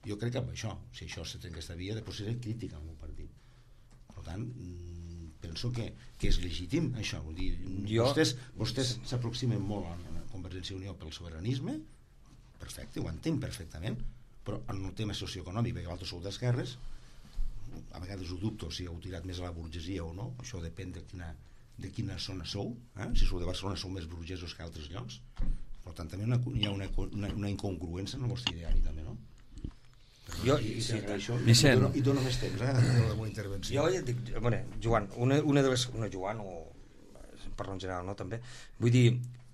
Jo crec que amb això, si això se trenca aquesta via, després seré crític al meu partit. Per tant, penso que, que és legítim això. Vull dir, jo... vostès vostès s'aproximen molt a la Convergència i Unió pel sobiranisme, perfecte, ho entenc perfectament, però en el tema socioeconòmic, perquè vosaltres sou d'esquerres, a vegades ho dubto si heu tirat més a la burgesia o no, això depèn de quina, de quina zona sou, eh? Si sou de Barcelona sou més burgesos que altres llocs, per tant també una, hi ha una, una, una incongruència en el vostre ideari també, no? Però, jo, i, i, sí, això, i, dono, i dono més temps, eh, de la meva intervenció. Jo ja dic, bueno, Joan, una, una de les... Una Joan, o parlo en general, no, també? Vull dir,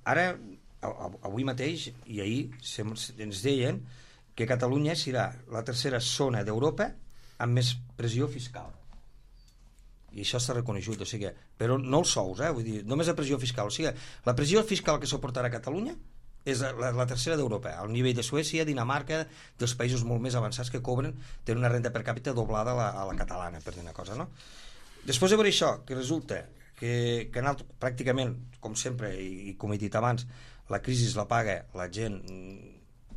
ara, avui mateix i ahir ens deien que Catalunya serà la tercera zona d'Europa amb més pressió fiscal. I això s'ha reconegut, o sigui, però no els sous, eh? Vull dir, només la pressió fiscal. O sigui, la pressió fiscal que suportarà Catalunya és la, la tercera d'Europa, al nivell de Suècia, Dinamarca, dels països molt més avançats que cobren, tenen una renda per càpita doblada a la, a la catalana, per dir una cosa, no? Després de veure això, que resulta que, que anat, pràcticament, com sempre, i, i com he dit abans, la crisi la paga la gent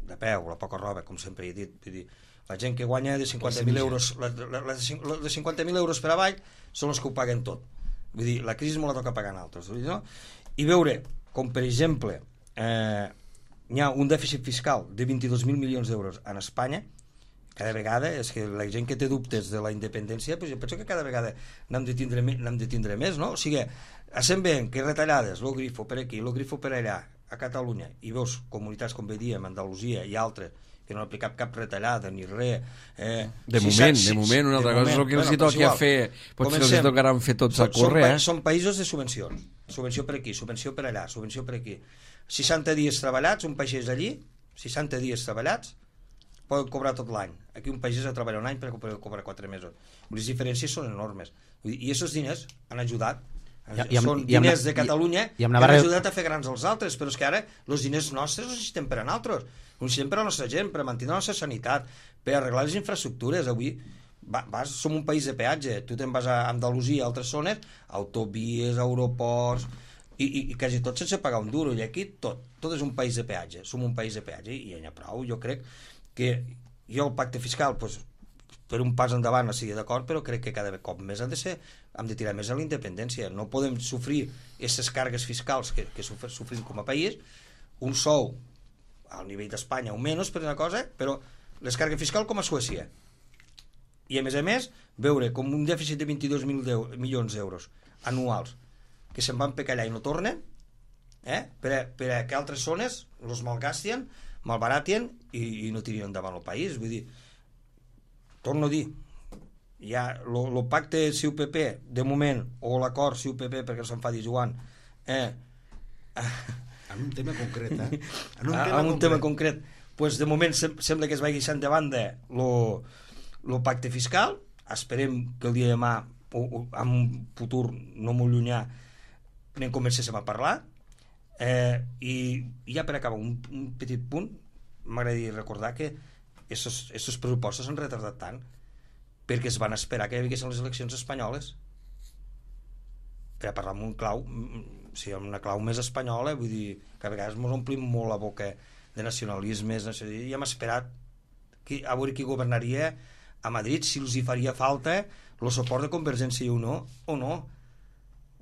de peu, la poca roba, com sempre he dit, vull dir, la gent que guanya de cinquanta mil euros, la, la, la, de cinquanta mil euros per avall són els que ho paguen tot. Vull dir, la crisi molt la toca pagar en altres, vull dir, no? I veure com, per exemple, eh, hi ha un dèficit fiscal de vint-i-dos mil milions d'euros en Espanya, cada vegada, és que la gent que té dubtes de la independència, pues jo penso que cada vegada n'hem de tindre, n'hem de tindre més, no? O sigui, essent bé que retallades, lo grifo per aquí, lo grifo per allà, a Catalunya, i veus comunitats com bé diem, Andalusia i altres, que no han aplicat cap retallada ni res. Eh, de si moment, si, de moment, una altra cosa és el que els bueno, toqui a fer, potser els tocaran fer tots a córrer. Són, eh? són països de subvencions, subvenció per aquí, subvenció per allà, subvenció per aquí. seixanta dies treballats, un pagès allí, seixanta dies treballats, poden cobrar tot l'any. Aquí un pagès ha treballat un any per cobrar quatre mesos. Les diferències són enormes. I aquests diners han ajudat I, i amb, són i amb, diners de Catalunya i, i que Navarra... han ajudat a fer grans els altres, però és que ara els diners nostres els necessitem per a nosaltres, els necessitem per a la nostra gent, per a mantenir la nostra sanitat, per arreglar les infraestructures. Avui va, vas, som un país de peatge, tu te'n vas a Andalusia, a altres zones, autovies, aeroports, i, i, i quasi tot sense pagar un duro, i aquí tot, tot és un país de peatge, som un país de peatge, i ja n'hi ha prou. Jo crec que jo el pacte fiscal, doncs, per un pas endavant estigui d'acord, però crec que cada cop més hem de ser, hem de tirar més a la independència. No podem sofrir aquestes càrregues fiscals que, que sofrim com a país, un sou al nivell d'Espanya o menys per una cosa, però les càrregues fiscals com a Suècia. I a més a més, veure com un dèficit de vint-i-dos mil milions d'euros anuals que se'n van per callar i no tornen, eh? per, a, per a que altres zones els malgastien, malbaratien i, i no tirien endavant el país. Vull dir, torno a dir, ja el pacte C U P P de moment, o l'acord C U P P perquè s'enfadi Joan, eh, en un tema concret, eh? En un tema, en un concret. tema concret, pues de moment sem sembla que es vagi deixant de banda el pacte fiscal. Esperem que el dia de demà, o, o en un futur no molt llunyà, n'en comencéssim a parlar. Eh, i, i ja per acabar un, un petit punt, m'agradaria recordar que aquests pressupostos s'han retardat tant perquè es van esperar que hi haguessin les eleccions espanyoles per a parlar amb un clau, o sigui, amb una clau més espanyola. Vull dir que a vegades ens omplim molt la boca de nacionalismes, i hem esperat que, a veure qui governaria a Madrid, si els hi faria falta el suport de Convergència i Unió o no.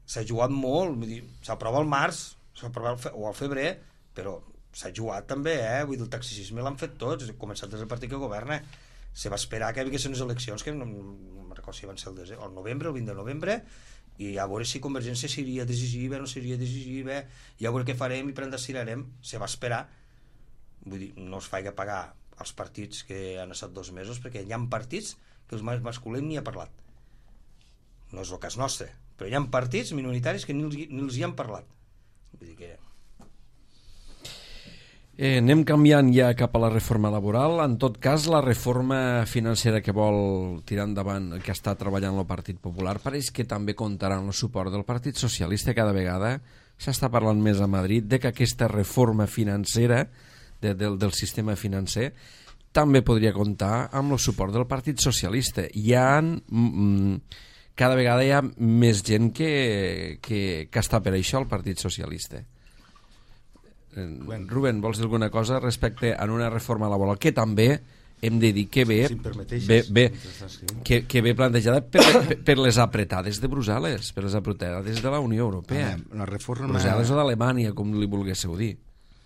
S'ha jugat molt, vull dir, s'aprova al març, s'aprova al fe o al febrer, però s'ha jugat també, eh? Vull dir, el taxisme l'han fet tots, ha començat des del partit que governa. Se va esperar que hi haguessin unes eleccions que no, no me'n recordo si van ser el, el novembre, el vint de novembre, i a veure si Convergència seria decisiva o no seria decisiva, i a veure què farem i per on destirarem. Se va esperar. Vull dir, no es faig pagar als partits que han estat dos mesos, perquè hi ha partits que els masculins ni ha parlat. No és el cas nostre, però hi ha partits minoritaris que ni els, ni els hi han parlat. Vull dir que... Eh, anem canviant ja cap a la reforma laboral. En tot cas, la reforma financera que vol tirar endavant, que està treballant el Partit Popular, pareix que també comptarà amb el suport del Partit Socialista. Cada vegada s'està parlant més a Madrid de que aquesta reforma financera de, del, del sistema financer també podria comptar amb el suport del Partit Socialista. Hi ha, mm, cada vegada hi ha més gent que, que, que està per això al Partit Socialista. Bueno. Rubén, vols dir alguna cosa respecte a una reforma laboral que també hem de dir que ve, si bé, bé, que, que ve plantejada per, per, per les apretades de Brussel·les, per les apretades de la Unió Europea, ah, la reforma... Brussel·les o d'Alemanya, com li volguéssiu dir,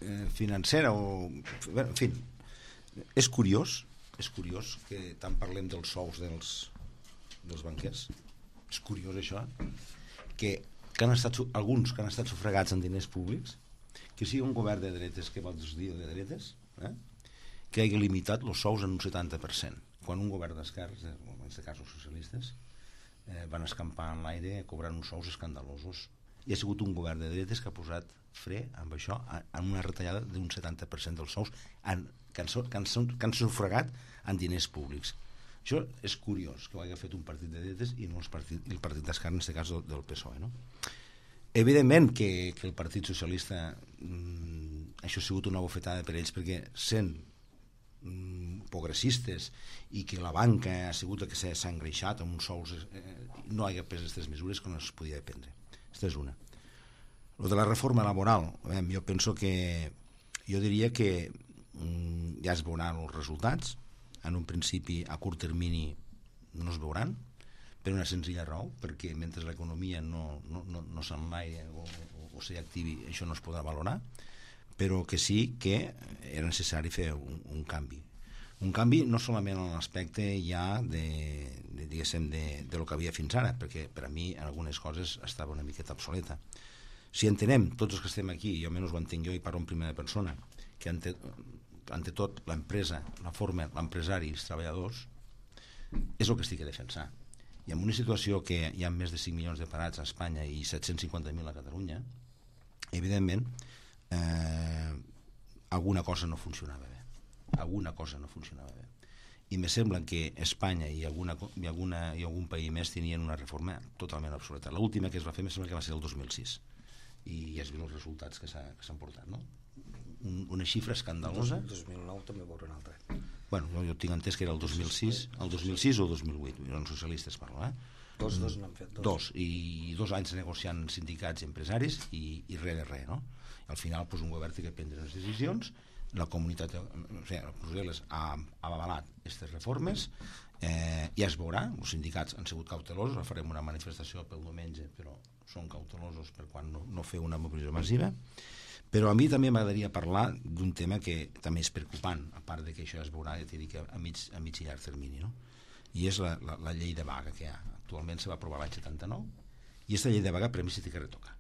eh, financera o... Bueno, en fi, és curiós és curiós que tant parlem dels sous dels, dels banquers. És curiós això, que, que han estat, alguns que han estat sufragats en diners públics, que sigui un govern de dretes, que vols dir de dretes, eh? que hagi limitat els sous en un setanta per cent, quan un govern d'esquerres, en aquest cas els socialistes, eh, van escampar en l'aire cobrant uns sous escandalosos. I ha sigut un govern de dretes que ha posat fre amb això, en una retallada d'un setanta per cent dels sous en, que, han, que, han, que han sufragat en diners públics. Això és curiós, que ho hagi fet un partit de dretes i no el partit, el partit d'esquerra, en aquest cas del P S O E, no? Evidentment que, que el Partit Socialista, mmm, això ha sigut una bofetada per ells, perquè sent mmm, progressistes i que la banca ha sigut la que s'ha engreixat amb uns sous, eh, no hi ha pres aquestes mesures que no es podia prendre. Aquesta és una. Lo de la reforma laboral, eh, jo penso que, jo diria que mmm, ja es veuran els resultats. En un principi, a curt termini, no es veuran, per una senzilla raó, perquè mentre l'economia no, no, no, no s'enlaire o, o, o s'hi activi, això no es podrà valorar, però que sí que era necessari fer un, un canvi. Un canvi no solament en l'aspecte ja de, de, diguéssim, de, de lo que havia fins ara, perquè per a mi en algunes coses estava una miqueta obsoleta. Si entenem, tots els que estem aquí, jo almenys ho entenc jo i parlo en primera persona, que ante, ante tot l'empresa, la forma, l'empresari i els treballadors, és el que estic a defensar. I en una situació que hi ha més de cinc milions de parats a Espanya i set-cents cinquanta mil a Catalunya, evidentment, eh, alguna cosa no funcionava bé. Alguna cosa no funcionava bé. i me sembla que Espanya i, alguna, i, alguna, i algun país més tenien una reforma totalment obsoleta. L'última que es va fer me sembla que va ser el dos mil sis, i ja es veuen els resultats que s'han portat, no? Un, una xifra escandalosa. El dos mil nou també veurà un altre. Bueno, jo, jo tinc entès que era el dos mil sis, el dos mil sis o el dos mil vuit, eren socialistes parlo, eh? Dos, dos n'han fet. Dos. Dos, i dos anys negociant sindicats i empresaris i, i res de res, no? Al final, doncs, un govern té que prendre unes decisions, la comunitat, o sigui, Brussel·les ha, ha avalat aquestes reformes, eh, ja es veurà, els sindicats han sigut cautelosos, farem una manifestació pel diumenge, però són cautelosos per quan no, no fer una mobilització massiva. Però a mi també m'agradaria parlar d'un tema que també és preocupant, a part de que això es veurà, ja t'he dit, a mig, a mig i llarg termini, no? I és la, la, la llei de vaga que hi ha. Actualment se va aprovar l'any setanta-nou, i aquesta llei de vaga per mi s'ha de retocar.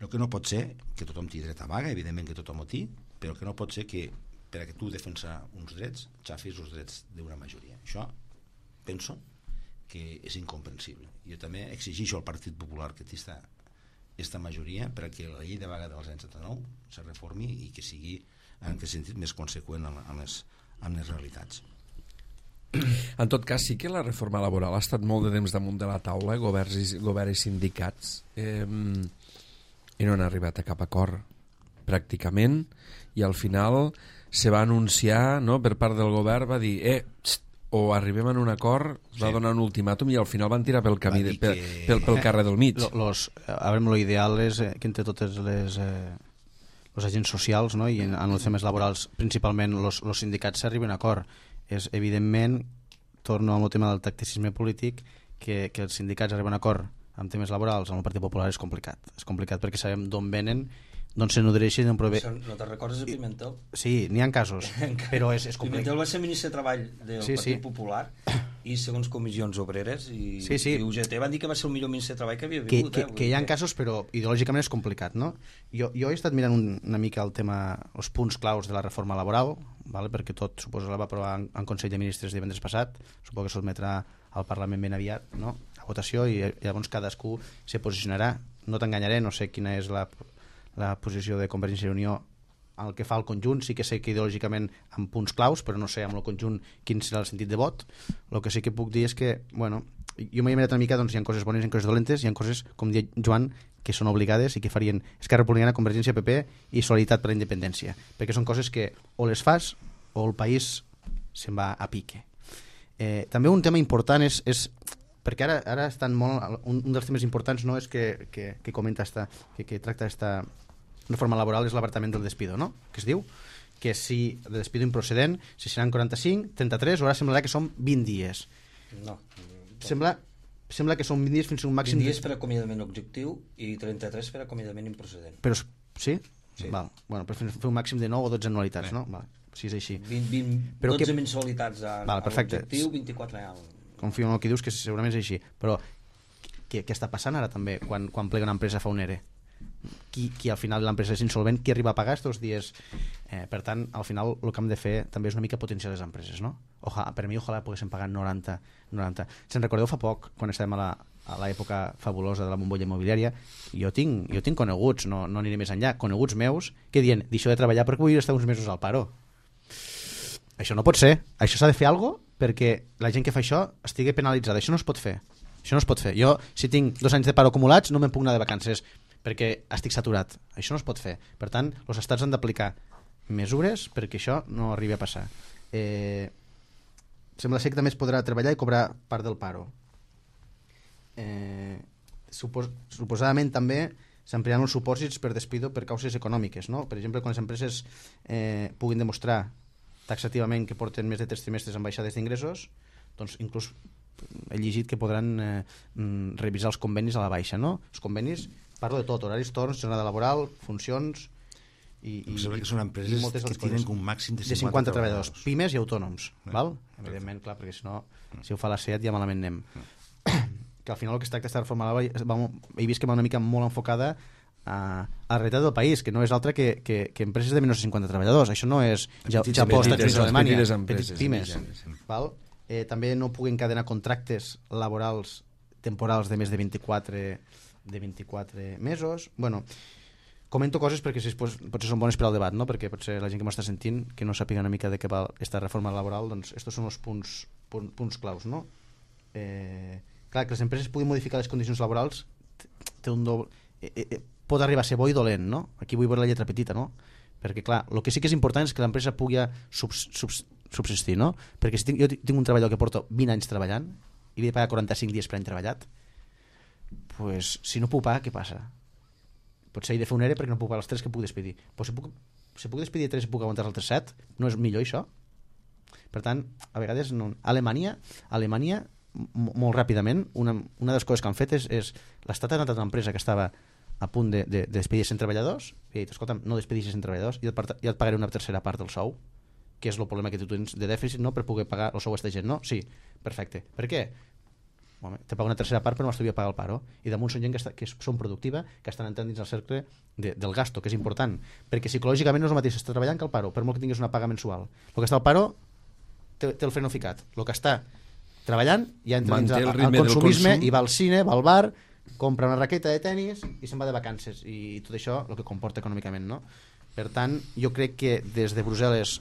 El que no pot ser que tothom tingui dret a vaga, evidentment que tothom ho té, però que no pot ser que per a que tu defensar uns drets xafis els drets d'una majoria. Això penso que és incomprensible. Jo també exigeixo al Partit Popular que té aquesta majoria per a que la llei de vaga dels anys setanta-nou se reformi i que sigui en aquest sentit més conseqüent amb les, amb les realitats. En tot cas, sí que la reforma laboral ha estat molt de temps damunt de la taula, governs i, govern i sindicats, eh, i no han arribat a cap acord, pràcticament, i al final se va anunciar, no, per part del govern, va dir, eh, txt, o arribem a un acord, es va sí. donar un ultimàtum i al final van tirar pel camí, de, pel, que... pel, pel carrer del mig. Los, a veure, lo ideal és eh, que entre totes les... Eh... els agents socials, no? I en, en els temes laborals principalment els sindicats s'arriben a acord. És evidentment, torno al tema del tacticisme polític, que, que els sindicats arriben a acord amb temes laborals amb el Partit Popular és complicat. És complicat perquè sabem d'on venen, d'on se nodreixen, d'on prové... No te'n recordes de Pimentel? Sí, n'hi ha casos, però és, és complicat. Pimentel va ser ministre de Treball del sí, Partit sí. Popular i segons comissions obreres i, sí, sí. i U G T van dir que va ser el millor ministre de Treball que havia que, vingut. Que, eh? que hi ha casos, però ideològicament és complicat, no? Jo, jo he estat mirant un, una mica el tema, els punts claus de la reforma laboral, vale? Perquè tot, suposo, la va aprovar en, en Consell de Ministres divendres passat, suposo que sotmetrà al Parlament ben aviat, no? A votació, i llavors cadascú se posicionarà. No t'enganyaré, no sé quina és la, la posició de Convergència i Unió en el que fa el conjunt, sí que sé que ideològicament amb punts claus, però no sé amb el conjunt quin serà el sentit de vot. El que sí que puc dir és que, bueno, jo m'he mirat una mica, doncs hi ha coses bones i coses dolentes, hi ha coses, com diu Joan, que són obligades i que farien Esquerra Republicana, Convergència, P P i Solidaritat per la Independència, perquè són coses que o les fas o el país se'n va a pique. Eh, també un tema important és, és perquè ara, ara estan molt, un, un dels temes importants no és que, que, que comenta esta, que, que tracta esta reforma laboral és l'abartament del despido, no? Que es diu que si el despido improcedent, si seran quaranta-cinc, trenta-tres, o ara semblarà que són vint dies. No. Sembla, sembla que són vint dies fins a un màxim... vint dies per acomiadament objectiu i trenta-tres per acomiadament improcedent. Però, sí? Sí. Val. Bueno, per fer un màxim de nou o dotze anualitats, sí. No? Val. Si és així. vint, vint, però dotze que... mensualitats a, Val, a l'objectiu, vint-i-quatre al... Confio en el que dius, que segurament és així. Però què, què està passant ara també quan, quan plega una empresa fa un ERE? Qui, qui al final l'empresa és insolvent, qui arriba a pagar aquests dies? Eh, per tant, al final el que hem de fer també és una mica potenciar les empreses, no? Ojalà, per mi ojalà poguéssim pagar noranta, noranta. Se'n recordeu fa poc, quan estàvem a la, a l'època fabulosa de la bombolla immobiliària, jo tinc, jo tinc coneguts, no, no aniré més enllà, coneguts meus que diuen, deixo de treballar perquè vull estar uns mesos al paro. Això no pot ser, això s'ha de fer alguna cosa perquè la gent que fa això estigui penalitzada, això no es pot fer, això no es pot fer. Jo, si tinc dos anys de paro acumulats, no me'n puc anar de vacances perquè estic saturat, això no es pot fer. Per tant, els estats han d'aplicar mesures perquè això no arribi a passar. Eh, sembla ser que també es podrà treballar i cobrar part del paro. Eh, supos suposadament també s'ampliaran els supòsits per despido per causes econòmiques, no? Per exemple, quan les empreses eh, puguin demostrar taxativament que porten més de tres trimestres amb baixades d'ingressos, doncs inclús he llegit que podran eh, revisar els convenis a la baixa, no? Els convenis, parlo de tot, horaris, torns, jornada laboral, funcions i, i, i que són empreses que tenen un màxim de cinquanta, de cinquanta treballadors, treballadors, pimes i autònoms, eh, val? Evidentment, clar, perquè si no, si ho fa la SEAT ja malament anem. Que al final el que es tracta d'estar reformada, he vist que va una mica molt enfocada a, a la realitat del país, que no és altra que, que, que empreses de menys de cinquanta treballadors. Això no és Japó, Estats Units o Alemanya, petites pimes. Val? Eh, també no puguen encadenar contractes laborals temporals de més de vint-i-quatre de vint-i-quatre mesos. Bueno, comento coses perquè si pues, potser són bones per al debat, no? Perquè potser la gent que m'està sentint que no sàpiga una mica de què va aquesta reforma laboral, doncs estos són els punts, punts, punts claus, no? Eh, clar, que les empreses puguin modificar les condicions laborals té un doble, eh, eh, pot arribar a ser bo i dolent, no? Aquí vull veure la lletra petita, no? Perquè clar, el que sí que és important és que l'empresa pugui subs, subs, subsistir, no? Perquè si tinc, jo tinc un treballador que porto vint anys treballant i li he de pagar quaranta-cinc dies per any treballat, pues, si no puc pagar, què passa? Potser he de fer un E R E perquè no puc pagar els tres que puc despedir. Però si puc, si puc despedir tres i puc aguantar els altres set, no és millor això? Per tant, a vegades no. Alemanya, Alemanya molt ràpidament, una, una de les coses que han fet és, és l'Estat ha anat a una empresa que estava a punt de, de, de despedir cent treballadors i ha dit, escolta'm, no despedis cent treballadors i et, i et pagaré una tercera part del sou, que és el problema que tu tens de dèficit, no? Per poder pagar el sou a aquesta gent, no? Sí, perfecte. Per què? Home, te pago una tercera part però m'estalvia pagar el paro, i damunt són gent que, està, que són productiva, que estan entrant dins el cercle de, del gasto, que és important, perquè psicològicament no és el mateix estar treballant que el paro, per molt que tinguis una paga mensual. El que està al paro té, té el freno ficat, el que està treballant ja entra dins el, el consumisme i va al cine, va al bar, compra una raqueta de tennis i se'n va de vacances, i tot això el que comporta econòmicament, no? Per tant, jo crec que des de Brussel·les,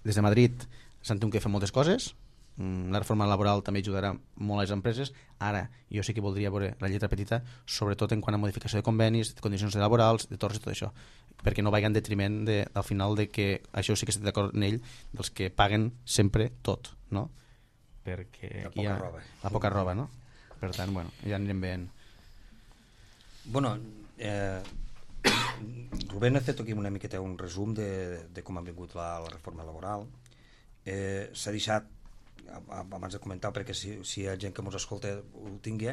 des de Madrid, s'han tingut que fer moltes coses. La reforma laboral també ajudarà molt a les empreses. Ara, jo sí que voldria veure la lletra petita, sobretot en quant a modificació de convenis, de condicions laborals, de torns i tot això, perquè no vagi en detriment de, al final de que, això sí que estic d'acord en ell, dels que paguen sempre tot, no? Perquè la poca hi ha roba. la poca roba, no? Per tant, bueno, ja anirem veient. Bueno, eh, Rubén ha fet aquí una miqueta un resum de, de com ha vingut la, la reforma laboral. Eh, s'ha deixat, abans de comentar, perquè si, si hi ha gent que ens escolta ho tingui,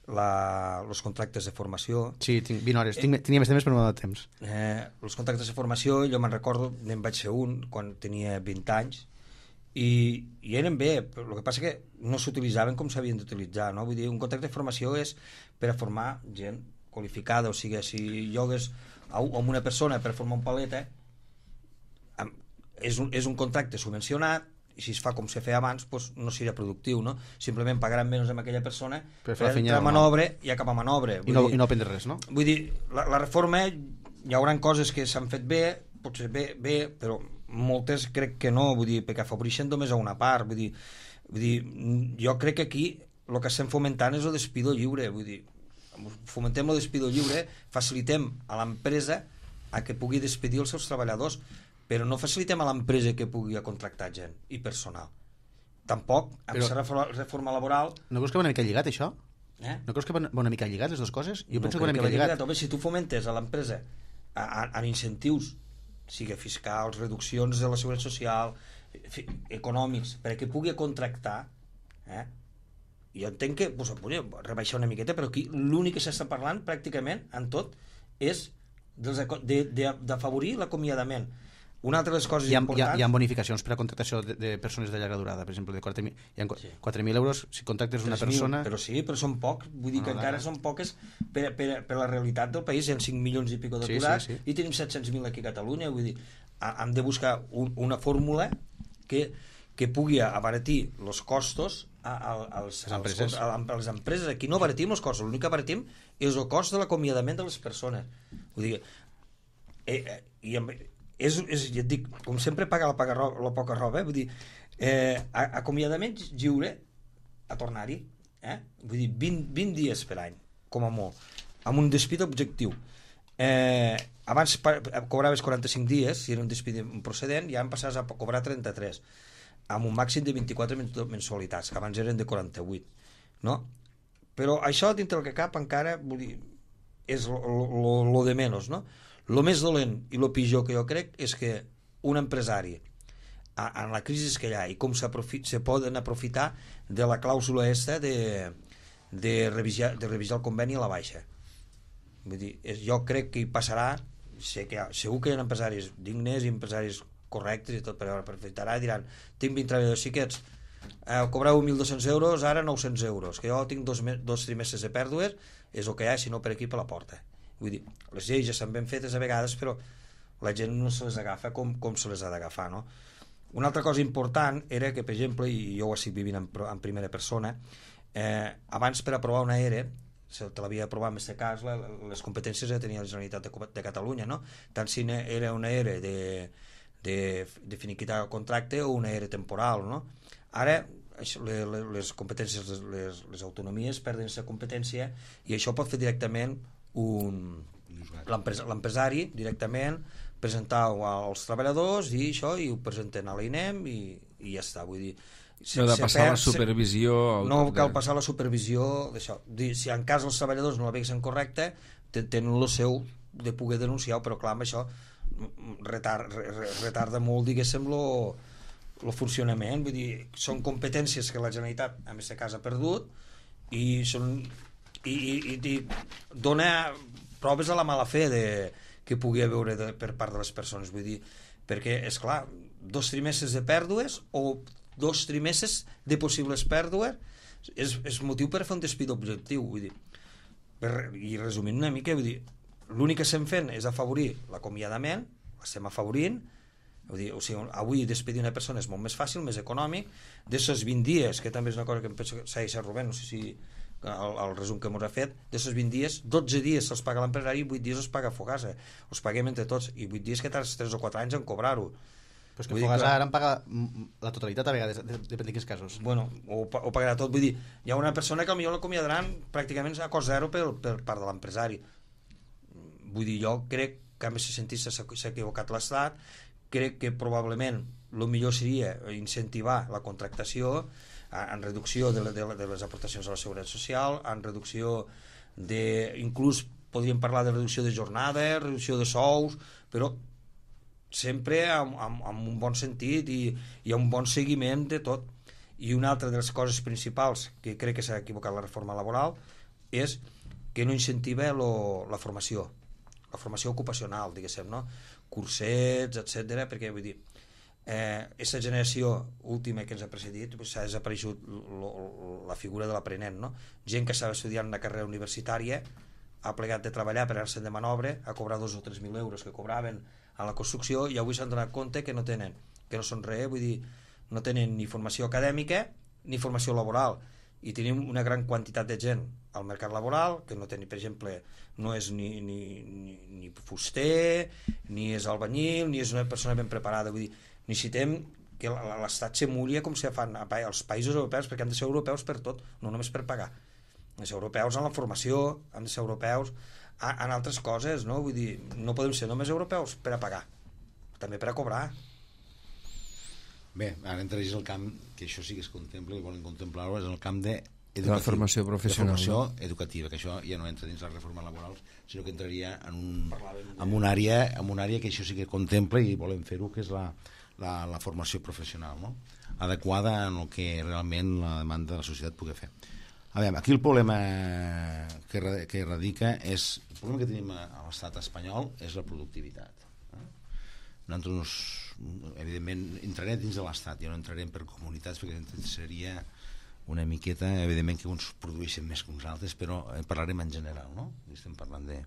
els contractes de formació. Sí, tinc vint hores, tinc, tenia més temps però no m'ha donat temps. Eh, els contractes de formació, jo me'n recordo, n'en vaig fer un quan tenia vint anys, i, i eren bé, però el que passa que no s'utilitzaven com s'havien d'utilitzar, no? Vull dir, un contracte de formació és per a formar gent qualificada, o sigui, si llogues a, a una persona per formar un paleta, és un, és un contracte subvencionat, i si es fa com se feia abans, doncs no seria productiu, no? Simplement pagaran menys amb aquella persona per, per entrar a manobre no? I acabar a manobre. I no, dir, i no aprendre res, no? Vull dir, la, la reforma, hi haurà coses que s'han fet bé, potser bé, bé, però moltes crec que no, vull dir, perquè afavoreixen només a una part, vull dir, vull dir, jo crec que aquí el que estem fomentant és el despido lliure, vull dir, fomentem el despido lliure, facilitem a l'empresa a que pugui despedir els seus treballadors, però no facilitem a l'empresa que pugui contractar gent i personal. Tampoc, amb però, reforma, reforma laboral... No creus que va una mica lligat, això? Eh? No creus que va una mica lligat, les dues coses? Jo no penso que va una mica que lligat. lligat. Home, si tu fomentes a l'empresa en incentius, sigui fiscals, reduccions de la seguretat social, fi, econòmics, perquè pugui contractar, eh? Jo entenc que pues, rebaixar una miqueta, però aquí l'únic que s'està parlant pràcticament en tot és d'afavorir l'acomiadament. Una altra de les coses hi ha, importants... Hi ha, hi ha bonificacions per a contractació de, de persones de llarga durada, per exemple, de quatre mil, hi ha quatre mil euros si contractes una persona... Però sí, però són pocs, vull dir no, que no, encara no. són poques per, per, per la realitat del país, hi ha cinc milions i pico d'aturats, sí, sí, sí. I tenim set-cents mil aquí a Catalunya, vull dir, hem de buscar un, una fórmula que, que pugui abaratir els costos a, a, als, les empreses. A, a les empreses. Aquí no abaratim els costos, l'únic que abaratim és el cost de l'acomiadament de les persones. Vull dir, eh, eh, i amb, és, és, ja et dic, com sempre paga la, paga roba, la poca roba, eh? Vull dir, eh, acomiadament lliure a tornar-hi, eh? Vull dir, vint, vint dies per any, com a molt, amb un despit objectiu. Eh, abans cobraves quaranta-cinc dies, si era un despit procedent, ja en passaves a cobrar trenta-tres, amb un màxim de vint-i-quatre mensualitats, que abans eren de quaranta-vuit, no? Però això, dintre del que cap, encara, vull dir, és lo, lo, lo de menys, no? Lo més dolent i lo pitjor que jo crec és que un empresari, en la crisi que hi ha, i com se poden aprofitar de la clàusula esta de, de, revisar, de revisar el conveni a la baixa. Vull dir, jo crec que hi passarà, sé que hi ha, segur que hi ha empresaris dignes i empresaris correctes i tot, però aprofitarà i diran, tinc vint treballadors xiquets, eh, cobreu mil dos-cents euros, ara nou-cents euros, que jo tinc dos, dos trimestres de pèrdues, és el que hi ha, si no per aquí per la porta. Vull dir, les lleis ja s'han ben fetes a vegades, però la gent no se les agafa com, com se les ha d'agafar, no? Una altra cosa important era que, per exemple, i jo ho estic vivint en, en primera persona, eh, abans per aprovar una E R E se te l'havia aprovat en aquest cas, la, les competències ja tenia la Generalitat de, de Catalunya, no? Tant si era una E R E de, de, de finiquitar el contracte o una E R E temporal, no? Ara les competències, les, les autonomies perden aquesta competència i això pot fer directament un l'empresari directament presentar als treballadors i això, i ho presenten a l'INEM i, i ja està, vull dir no de passar perd, la supervisió no cal passar la supervisió d'això, si en cas els treballadors no la veixen correcta tenen el seu de poder denunciar, però clar, amb això retard, retarda molt, diguéssim, lo, lo funcionament, vull dir, són competències que la Generalitat en aquest cas ha perdut i són i, i, i dona proves a la mala fe de, que pugui haver de, per part de les persones, vull dir, perquè és clar, dos trimestres de pèrdues o dos trimestres de possibles pèrdues és, és motiu per fer un despí d'objectiu, vull dir, per, i resumint una mica, vull dir, l'únic que estem fent és afavorir l'acomiadament, l'estem afavorint, vull dir, o sigui, avui despedir una persona és molt més fàcil, més econòmic, d'aquests vint dies, que també és una cosa que em penso que s'ha deixat Rubén, no sé si el, el resum que ens ha fet, d'aquests vint dies, dotze dies se'ls paga l'empresari i vuit dies els paga Fogasa, els paguem entre tots, i vuit dies que tardes tres o quatre anys en cobrar-ho. Però és que Fogasa ara en paga la totalitat a vegades, depèn de quins casos. Bueno, ho, ho pagarà tot, vull dir, hi ha una persona que potser l'acomiadaran pràcticament a cost zero per, per part de l'empresari. Vull dir, jo crec que en aquest sentit s'ha equivocat l'Estat, crec que probablement el millor seria incentivar la contractació en reducció de, de, de les aportacions a la Seguretat Social, en reducció de, inclús podríem parlar de reducció de jornades, reducció de sous, però sempre amb, amb, amb un bon sentit i, i un bon seguiment de tot. I una altra de les coses principals que crec que s'ha equivocat la reforma laboral és que no incentiva lo, la formació, la formació ocupacional, diguéssim, no? Cursets, etcètera, perquè vull dir, eh, aquesta generació última que ens ha precedit s'ha desapareixut lo, lo, la figura de l'aprenent, no? Gent que estava estudiant una carrera universitària ha plegat de treballar per anar-se'n de manobre a cobrar dos o tres mil euros que cobraven a la construcció i avui s'han donat compte que no tenen, que no són res, vull dir, no tenen ni formació acadèmica ni formació laboral, i tenim una gran quantitat de gent al mercat laboral que no té, per exemple, no és ni, ni, ni, ni fuster, ni és albañil, ni és una persona ben preparada. Vull dir, necessitem que l'Estat s'emuli com se fan als països europeus, perquè han de ser europeus per tot, no només per pagar. Han de ser europeus en la formació, han de ser europeus en altres coses, no? Vull dir, no podem ser només europeus per a pagar, també per a cobrar. Bé, ara entraries al camp, que això sí que es contempla i volen contemplar-ho, és el camp de de la formació professional, de formació no? educativa, que això ja no entra dins les reformes laborals, sinó que entraria en un, en un àrea, en una àrea que això sí que contempla i volem fer-ho, que és la, la, la formació professional, no? Adequada en el que realment la demanda de la societat pugui fer. A veure, aquí el problema que, que radica és, el problema que tenim a, a l'estat espanyol és la productivitat. Eh? Nosaltres, evidentment, entrarem dins de l'estat, ja no entrarem per comunitats, perquè seria una miqueta, evidentment que uns produeixen més que uns altres, però parlarem en general, no? Estem parlant de...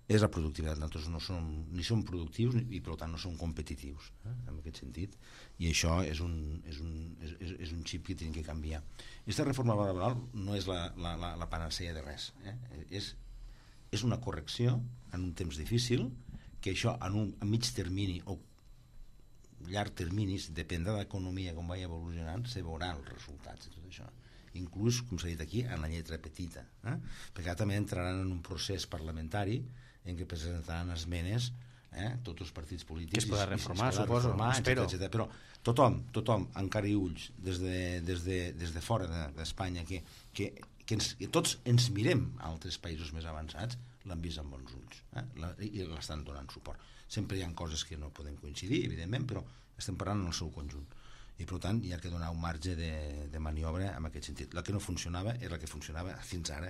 És la productivitat, nosaltres no som, ni som productius ni, i per tant no som competitius, eh? En aquest sentit, i això és un, és un, és, és un xip que tenim que canviar. Aquesta reforma laboral no és la, la, la, la panacea de res, eh? és, és una correcció en un temps difícil, que això en un a mig termini o llarg terminis, depèn de l'economia com vagi evolucionant, se veuran els resultats de tot això, inclús, com s'ha dit aquí, en la lletra petita, eh? Perquè també entraran en un procés parlamentari en què presentaran esmenes, eh? Tots els partits polítics, que es podrà reformar, es suposo, reformar, espero, etcètera, però tothom, tothom, encara i ulls des de, des de, des de fora d'Espanya, que, que, que, ens, que tots ens mirem a altres països més avançats, l'han vist amb bons ulls, eh? La, i l'estan donant suport. Sempre hi ha coses que no podem coincidir, evidentment, però estem parlant en el seu conjunt. I, per tant, hi ha que donar un marge de, de maniobra en aquest sentit. La que no funcionava és la que funcionava fins ara,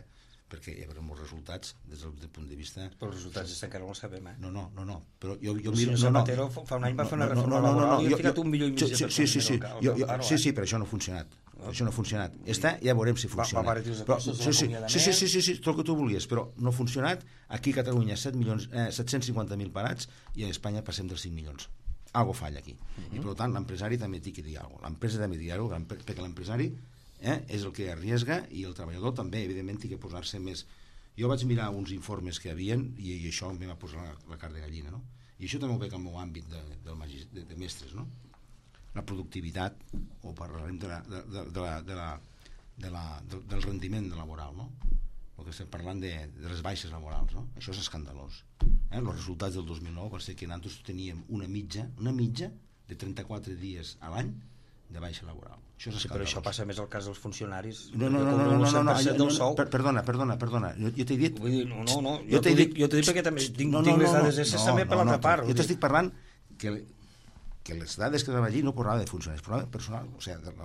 perquè hi haurà molts resultats des del punt de vista... Però els resultats encara no els sabem, eh? No, no, no, no. Però jo, jo miro... No, Zapatero no, fa un any va fer una no, reforma no, no, laboral no, no, i ha jo, ficat un milió i mig de persones. Sí, sí, sí, jo, jo, paro, sí, sí, però això no ha funcionat. No. Això no ha funcionat. Està, ja veurem si funciona. Va, va però, sí, sí, sí, sí, sí, sí, sí, tot el que tu volies, però no ha funcionat. Aquí a Catalunya set milions, eh, set-cents cinquanta mil parats i a Espanya passem dels cinc milions. Algo falla aquí. Uh -huh. I per tant l'empresari també té que dir alguna cosa. L'empresa també té que dir alguna cosa, perquè l'empresari eh, és el que arriesga i el treballador també, evidentment, té que posar-se més Jo vaig mirar uns informes que hi havia i, i això em va posar la, la carn de gallina, no? I això també ho veig al meu àmbit de, del magis, de, de mestres, no? La productivitat, o parlarem de la, de, de, de la, de la, de la, de, del rendiment laboral, no? El que estem parlant de, de les baixes laborals, no? Això és escandalós. Eh? Els resultats del dos mil nou va ser que nosaltres teníem una mitja, una mitja de trenta-quatre dies a l'any de baixa laboral. Això és sí, però això passa més al cas dels funcionaris. No, no, no, no, no, no, no, no, no per, perdona, perdona, perdona. Jo, jo t'he dit... Vull dir, no, no, no, jo, jo t'he dit, jo t'he dit perquè també tinc, no, no, tinc les dades no, no, també per no, l'altra no, part. Jo t'estic parlant que, que les dades que donava allí no parlava de funcionaris, parlava de personal, o sigui,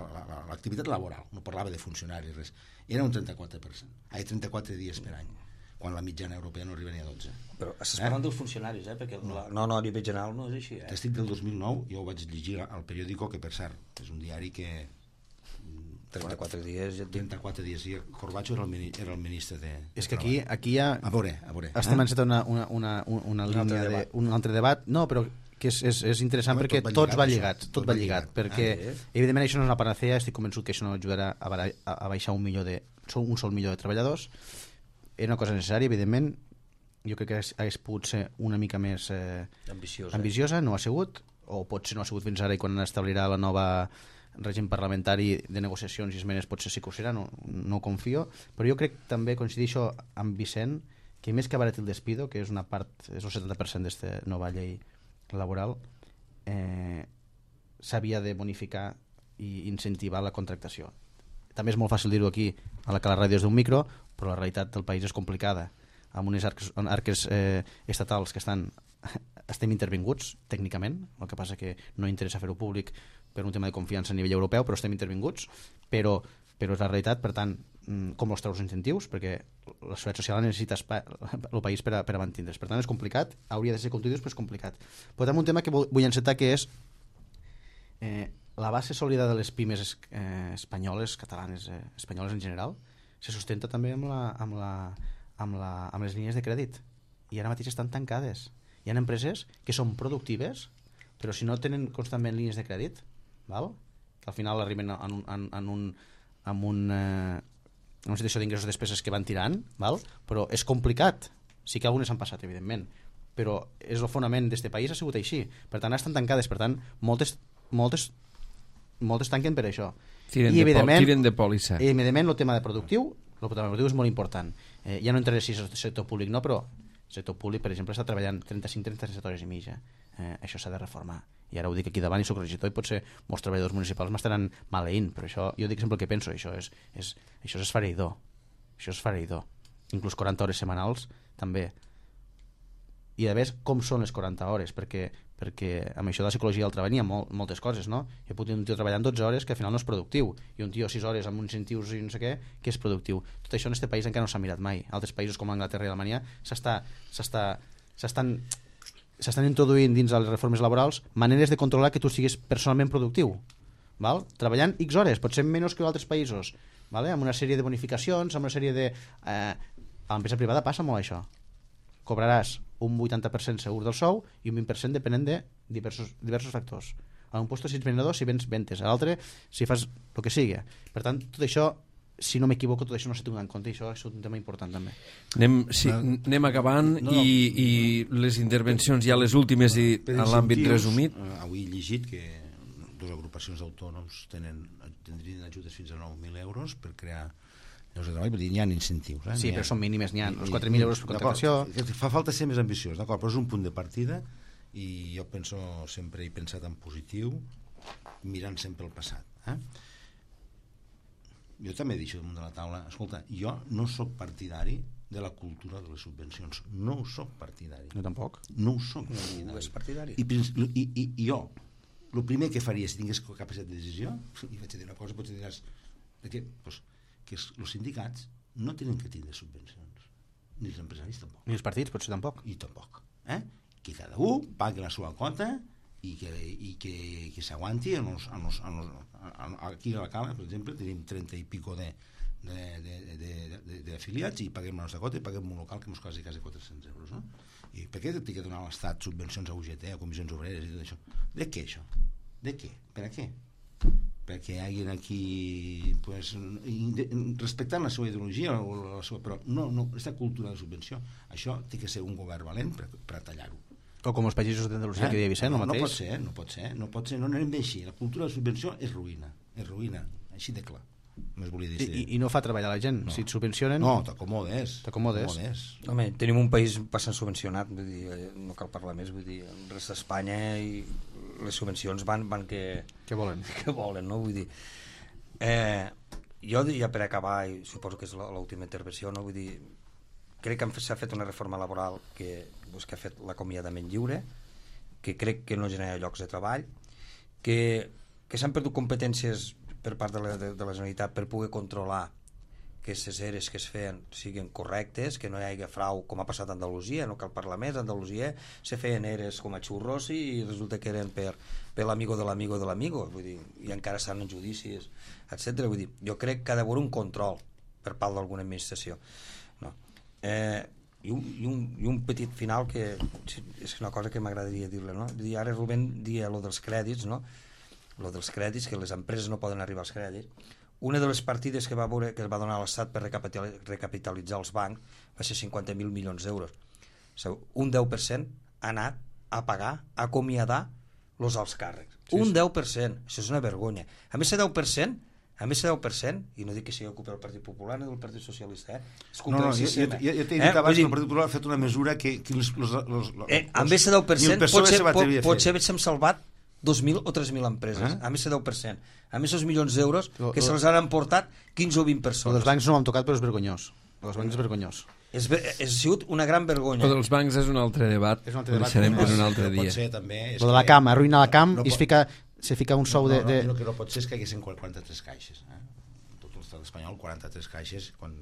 l'activitat laboral, no parlava de funcionaris, res. Era un trenta-quatre per cent. Ai, trenta-quatre dies per any, quan la mitjana europea no arriba ni a dotze. Però estàs parlant eh? dels funcionaris, eh? Perquè la... no, no, a nivell general no és així. Eh? Estic del dos mil nou, jo ho vaig llegir al periòdico, que per cert, és un diari que... trenta-quatre dies... Ja trenta-quatre dies, i Corbacho era el, era el ministre de... És que aquí, aquí ja... A veure, a veure. Estem eh? encetant una, una, una, una, una un línia altre de... Un altre debat. No, però que és, és, és interessant Home, perquè tot tots va lligat, lligat, això, tot, tot va lligat, lligat perquè ah, eh? evidentment això no és una panacea, estic convençut que això no ajudarà a, a, a baixar un milió de un sol milió de treballadors. Era una cosa necessària, evidentment. Jo crec que hagués pogut ser una mica més eh, ambiciosa. ambiciosa, no ha sigut, o potser no ha sigut fins ara, i quan establirà la nova règim parlamentari de negociacions i esmenes potser sí que ho serà, no, no ho confio, però jo crec també, coincidixo amb Vicent, que més que abaratir el despido, que és una part, és el setanta per cent d'esta nova llei laboral, eh, s'havia de bonificar i incentivar la contractació. També és molt fàcil dir-ho aquí a la que la ràdio és d'un micro, però la realitat del país és complicada, amb unes arques, arques eh, estatals que estan estem intervinguts tècnicament, el que passa que no interessa fer-ho públic per un tema de confiança a nivell europeu, però estem intervinguts, però, però és la realitat. Per tant, com els treus incentius, perquè la seguretat social necessita el país per a, per a mantindre's. Per tant, és complicat, hauria de ser continus, però és complicat. Però també un tema que vull encetar, que és eh, la base sòlida de les pimes eh, espanyoles, catalanes, eh, espanyoles en general, se sustenta també amb, la, amb, la, amb, la, amb les línies de crèdit, i ara mateix estan tancades. Hi ha empreses que són productives, però si no tenen constantment línies de crèdit, val? Que al final arriben en, un, en, en, un, en, un, eh, en una situació d'ingressos i despeses que van tirant, val? Però és complicat. Sí que algunes han passat, evidentment, però és el fonament d'aquest país, ha sigut així. Per tant, estan tancades, per tant, moltes, moltes, moltes tanquen per això. Tiren, I, de, pol tiren de pòlissa. I, evidentment, el tema de productiu, el tema de productiu és molt important. Eh, ja no entraré si és el sector públic, no, però el sector públic, per exemple, està treballant trenta-cinc a trenta-set hores i mitja. Eh, això s'ha de reformar. I ara ho dic aquí davant i soc regidor, i potser molts treballadors municipals m'estaran maleint, però això, jo dic sempre el que penso, això és, és, això és esfereïdor. Això és esfereïdor. Inclús quaranta hores setmanals, també. I a més, com són les quaranta hores? Perquè, perquè amb això de la psicologia del treball hi ha molt, moltes coses, no? Jo he pogut un tio treballant dotze hores que al final no és productiu, i un tio sis hores amb incentius i no sé què, que és productiu. Tot això en aquest país encara no s'ha mirat mai. Altres països com Anglaterra i Alemanya s'estan s'estan introduint dins de les reformes laborals maneres de controlar que tu siguis personalment productiu, val? Treballant X hores, potser menys que altres països, vale? Amb una sèrie de bonificacions, amb una sèrie de... Eh, a l'empresa privada passa molt això. Cobraràs un vuitanta per cent segur del sou i un vint per cent depenent de diversos, diversos factors. A un lloc si ets venedor, si vens ventes, a l'altre si fas el que sigui. Per tant, tot això, si no m'equivoco, tot això no s'ha tingut en compte, i això és un tema important també. Anem, sí, anem acabant no, no, i, i les intervencions ja les últimes i en l'àmbit resumit. Uh, avui he llegit que dues agrupacions d'autònoms tenen, tindrien ajudes fins a nou mil euros per crear llocs de treball, perquè n'hi ha incentius. Eh? Sí, però són mínimes, n'hi ha els quatre mil euros per contractació. Fa falta ser més ambiciós, d'acord, però és un punt de partida, i jo penso, sempre he pensat en positiu, mirant sempre el passat. Eh? Jo també he dit damunt de la taula, escolta, jo no sóc partidari de la cultura de les subvencions, no ho sóc partidari. No tampoc? No ho sóc partidari. No és partidari. I, i, i, i jo, el primer que faria si tingués capacitat de decisió, i vaig a dir una cosa, potser diràs, que, pues, que els sindicats no tenen que tindre subvencions, ni els empresaris tampoc. Ni els partits, potser tampoc. I tampoc. Eh? Que cada un pagui la seva quota i que, i que, que s'aguanti en els, en els, en els, en, aquí a la Cala, per exemple, tenim trenta i pico de, de, de, de, de, de afiliats, i paguem la nostra quota i paguem un local que ens quasi quasi quatre-cents euros, no? I per què té que donar a l'Estat subvencions a U G T, a comissions obreres i tot això? De què això? De què? Per a què? perquè hi hagi aquí pues, respectant la seva ideologia o la seva, però no, no, aquesta cultura de subvenció, això té que ser un govern valent per, per tallar-ho. O com els països d'Andalusia, eh? que deia Vicent, no, el mateix. No pot ser, no pot ser, no pot ser, no anem bé així. La cultura de subvenció és ruïna, és ruïna, així de clar. Més volia dir. I, I no fa treballar la gent, no. Si et subvencionen... No, t'acomodes. T'acomodes. Home, tenim un país bastant subvencionat, vull dir, no cal parlar més, vull dir, el rest d'Espanya i les subvencions van, van que... Què volen? Que volen, no? Vull dir... Eh, jo, ja per acabar, i suposo que és l'última intervenció, no? Vull dir, crec que s'ha fet una reforma laboral que, doncs, que ha fet l'acomiadament lliure, que crec que no genera llocs de treball, que, que s'han perdut competències per part de la, de, de la Generalitat per poder controlar que aquestes eres que es feien siguin correctes, que no hi hagi frau, com ha passat a Andalusia, no cal parlar més. A Andalusia se feien eres com a xurros i resulta que eren per, per l'amigo de l'amigo de l'amigo, vull dir, i encara estan en judicis, etcètera. Vull dir, jo crec que ha d'haver un control per part d'alguna administració. No. Eh, i, un, i, un, i un petit final que és una cosa que m'agradaria dir-le, no? Dir, ara Rubén dia lo dels crèdits, no? Lo dels crèdits, que les empreses no poden arribar als crèdits. Una de les partides que va, veure, que va donar l'Estat per recapitalitzar els bancs va ser cinquanta mil milions d'euros. Un deu per cent ha anat a pagar, a acomiadar els alts càrrecs. Sí, un sí. deu per cent, això és una vergonya. A més, el deu per cent, a més, el deu per cent, i no dic que sigui culpa del Partit Popular ni del Partit Socialista, eh? És culpa no, no, del sistema. Jo, jo, jo t'he dit eh? abans que el Partit Popular ha fet una mesura que... que los, los, los, los, eh, a més, el deu per cent potser, pot, potser hem salvat dos mil o tres mil empreses, eh? A més el deu per cent. A més els milions d'euros que se'ls han emportat quinze o vint persones. El dels bancs no m'han tocat, però és vergonyós. El dels bancs és vergonyós. És, és sigut una gran vergonya. El dels bancs és un altre debat, és un altre debat deixarem per un altre dia. Pot ser, també, és el de la cam, arruïna la cam no i es fica, se fica un sou no, de... No, de... no, el que no pot ser és que hi haguessin quaranta-tres caixes. Eh? Tot l'estat espanyol, quaranta-tres caixes, quan...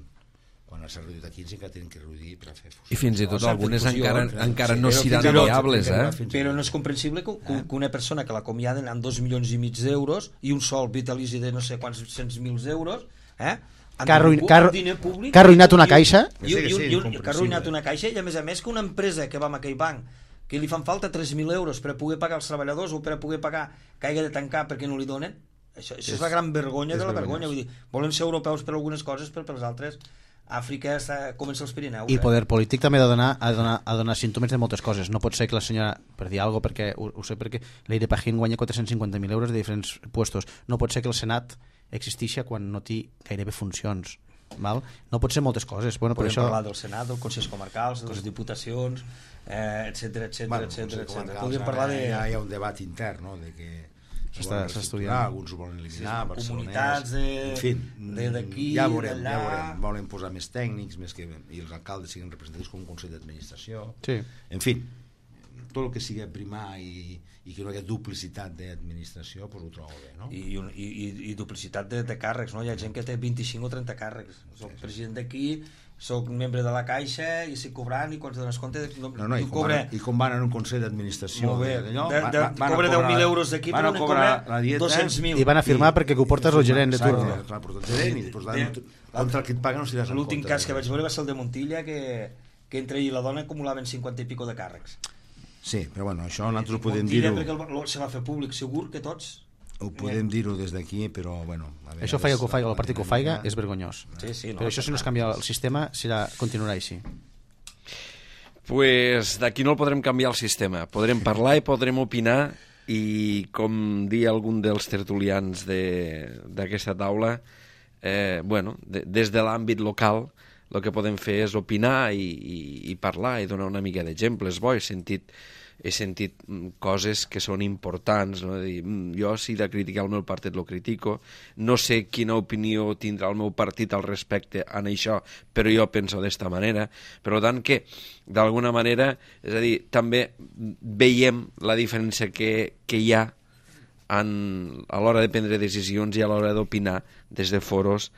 quan s'ha reduït a quinze que tenen que reduir per a fer fusió. I fins i tot algunes encara, fusió, encara sí, no seran viables, eh? Però no és comprensible que, que, que una persona que l'acomiaden amb dos milions i mig d'euros i un sol vitalici de no sé quants cents mil euros, eh? Que ha arruïnat una caixa i, i, i, i, que ha arruïnat una caixa i a més a més que una empresa que va amb aquell banc que li fan falta tres mil euros per a poder pagar els treballadors o per a poder pagar que hagi de tancar perquè no li donen, això, això és, és la gran vergonya de la vergonya. Vull dir, volen ser europeus per algunes coses però per les altres Àfrica està, comença als Pirineus. I poder polític també ha de donar, ha de donar, ha de donar símptomes de moltes coses. No pot ser que la senyora, per dir alguna cosa, perquè ho, ho sé perquè l'Eire Pajín guanya quatre-cents cinquanta mil euros de diferents puestos. No pot ser que el Senat existeixi quan no té gairebé funcions. Val? No pot ser moltes coses. Bueno, podem per això... parlar del Senat, dels Consells Comarcals, de les Diputacions, eh, etcètera, etcètera, bueno, etcètera. Podríem parlar de... Ja hi ha un debat intern, no?, de que s'està estudiant, alguns ho volen eliminar, sí, comunitats de, en fi, d'aquí, ja veurem, d'allà, ja veurem, volen posar més tècnics, més que i els alcaldes siguin representatius com un consell d'administració, sí. En fi, tot el que sigui primar i, i que no hi hagi duplicitat d'administració, doncs ho trobo bé, no? I, i, i, i duplicitat de, de càrrecs, no? Hi ha gent que té vint-i-cinc o trenta càrrecs. Soc sí, president d'aquí, soc membre de la Caixa i estic cobrant i quan te dones compte no, no, no, i, com cobre... van, i com van en un consell d'administració de, de, de, cobra deu mil euros d'aquí però no cobra dos-cents mil i van a firmar i, perquè ho portes el gerent de turno clar, portes el gerent i després contra el que et paguen no s'hi des l'últim cas que vaig veure va ser el de Montilla que, que entre ell i la dona acumulaven cinquanta i pico de càrrecs. Sí, però bueno, això nosaltres ho podem dir-ho Montilla perquè se va fer públic, segur que tots ho podem dir-ho des d'aquí, però bueno... Això faiga que ho faiga, el partit que ho faiga és vergonyós. Sí, sí, no, però això si no es canvia el sistema serà, continuarà així. Pues d'aquí no el podrem canviar el sistema. Podrem parlar i podrem opinar i com dia algun dels tertulians d'aquesta taula, eh, bueno, de, des de l'àmbit local el que podem fer és opinar i, i, i parlar i donar una mica d'exemples. Bo, he sentit he sentit coses que són importants, no? Dir, jo si de criticar el meu partit lo critico, no sé quina opinió tindrà el meu partit al respecte en això, però jo penso d'esta manera, per tant que d'alguna manera, és a dir, també veiem la diferència que, que hi ha en, a l'hora de prendre decisions i a l'hora d'opinar des de foros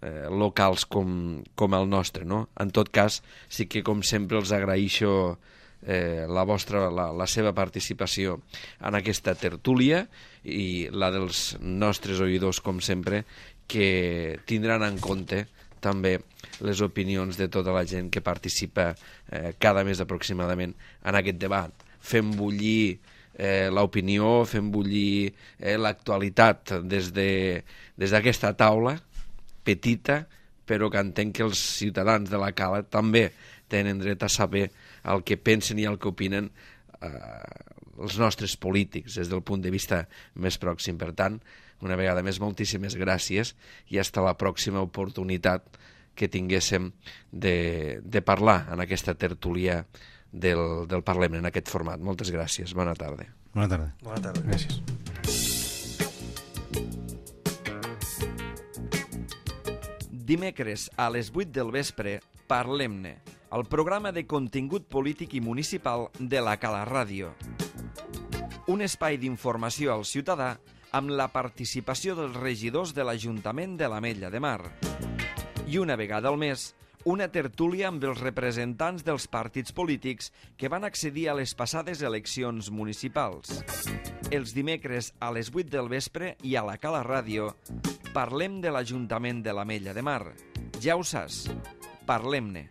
eh, locals com, com el nostre, no? En tot cas, sí que com sempre els agraeixo Eh, la vostra, la, la seva participació en aquesta tertúlia i la dels nostres oïdors, com sempre, que tindran en compte també les opinions de tota la gent que participa eh, cada mes aproximadament en aquest debat. Fem bullir eh, l'opinió, fem bullir eh, l'actualitat des de, des d'aquesta taula petita, però que entenc que els ciutadans de la Cala també tenen dret a saber el que pensen i el que opinen eh, els nostres polítics des del punt de vista més pròxim. Per tant, una vegada més, moltíssimes gràcies i fins a la pròxima oportunitat que tinguéssim de, de parlar en aquesta tertúlia del, del Parlament, en aquest format. Moltes gràcies. Bona tarda. Bona tarda. Bona tarda. Gràcies. Dimecres a les vuit del vespre, Parlem-ne, el programa de contingut polític i municipal de la Cala Ràdio. Un espai d'informació al ciutadà amb la participació dels regidors de l'Ajuntament de l'Ametlla de Mar. I una vegada al mes, una tertúlia amb els representants dels partits polítics que van accedir a les passades eleccions municipals. Els dimecres a les vuit del vespre i a la Cala Ràdio parlem de l'Ajuntament de l'Ametlla de Mar. Ja ho saps, parlem-ne.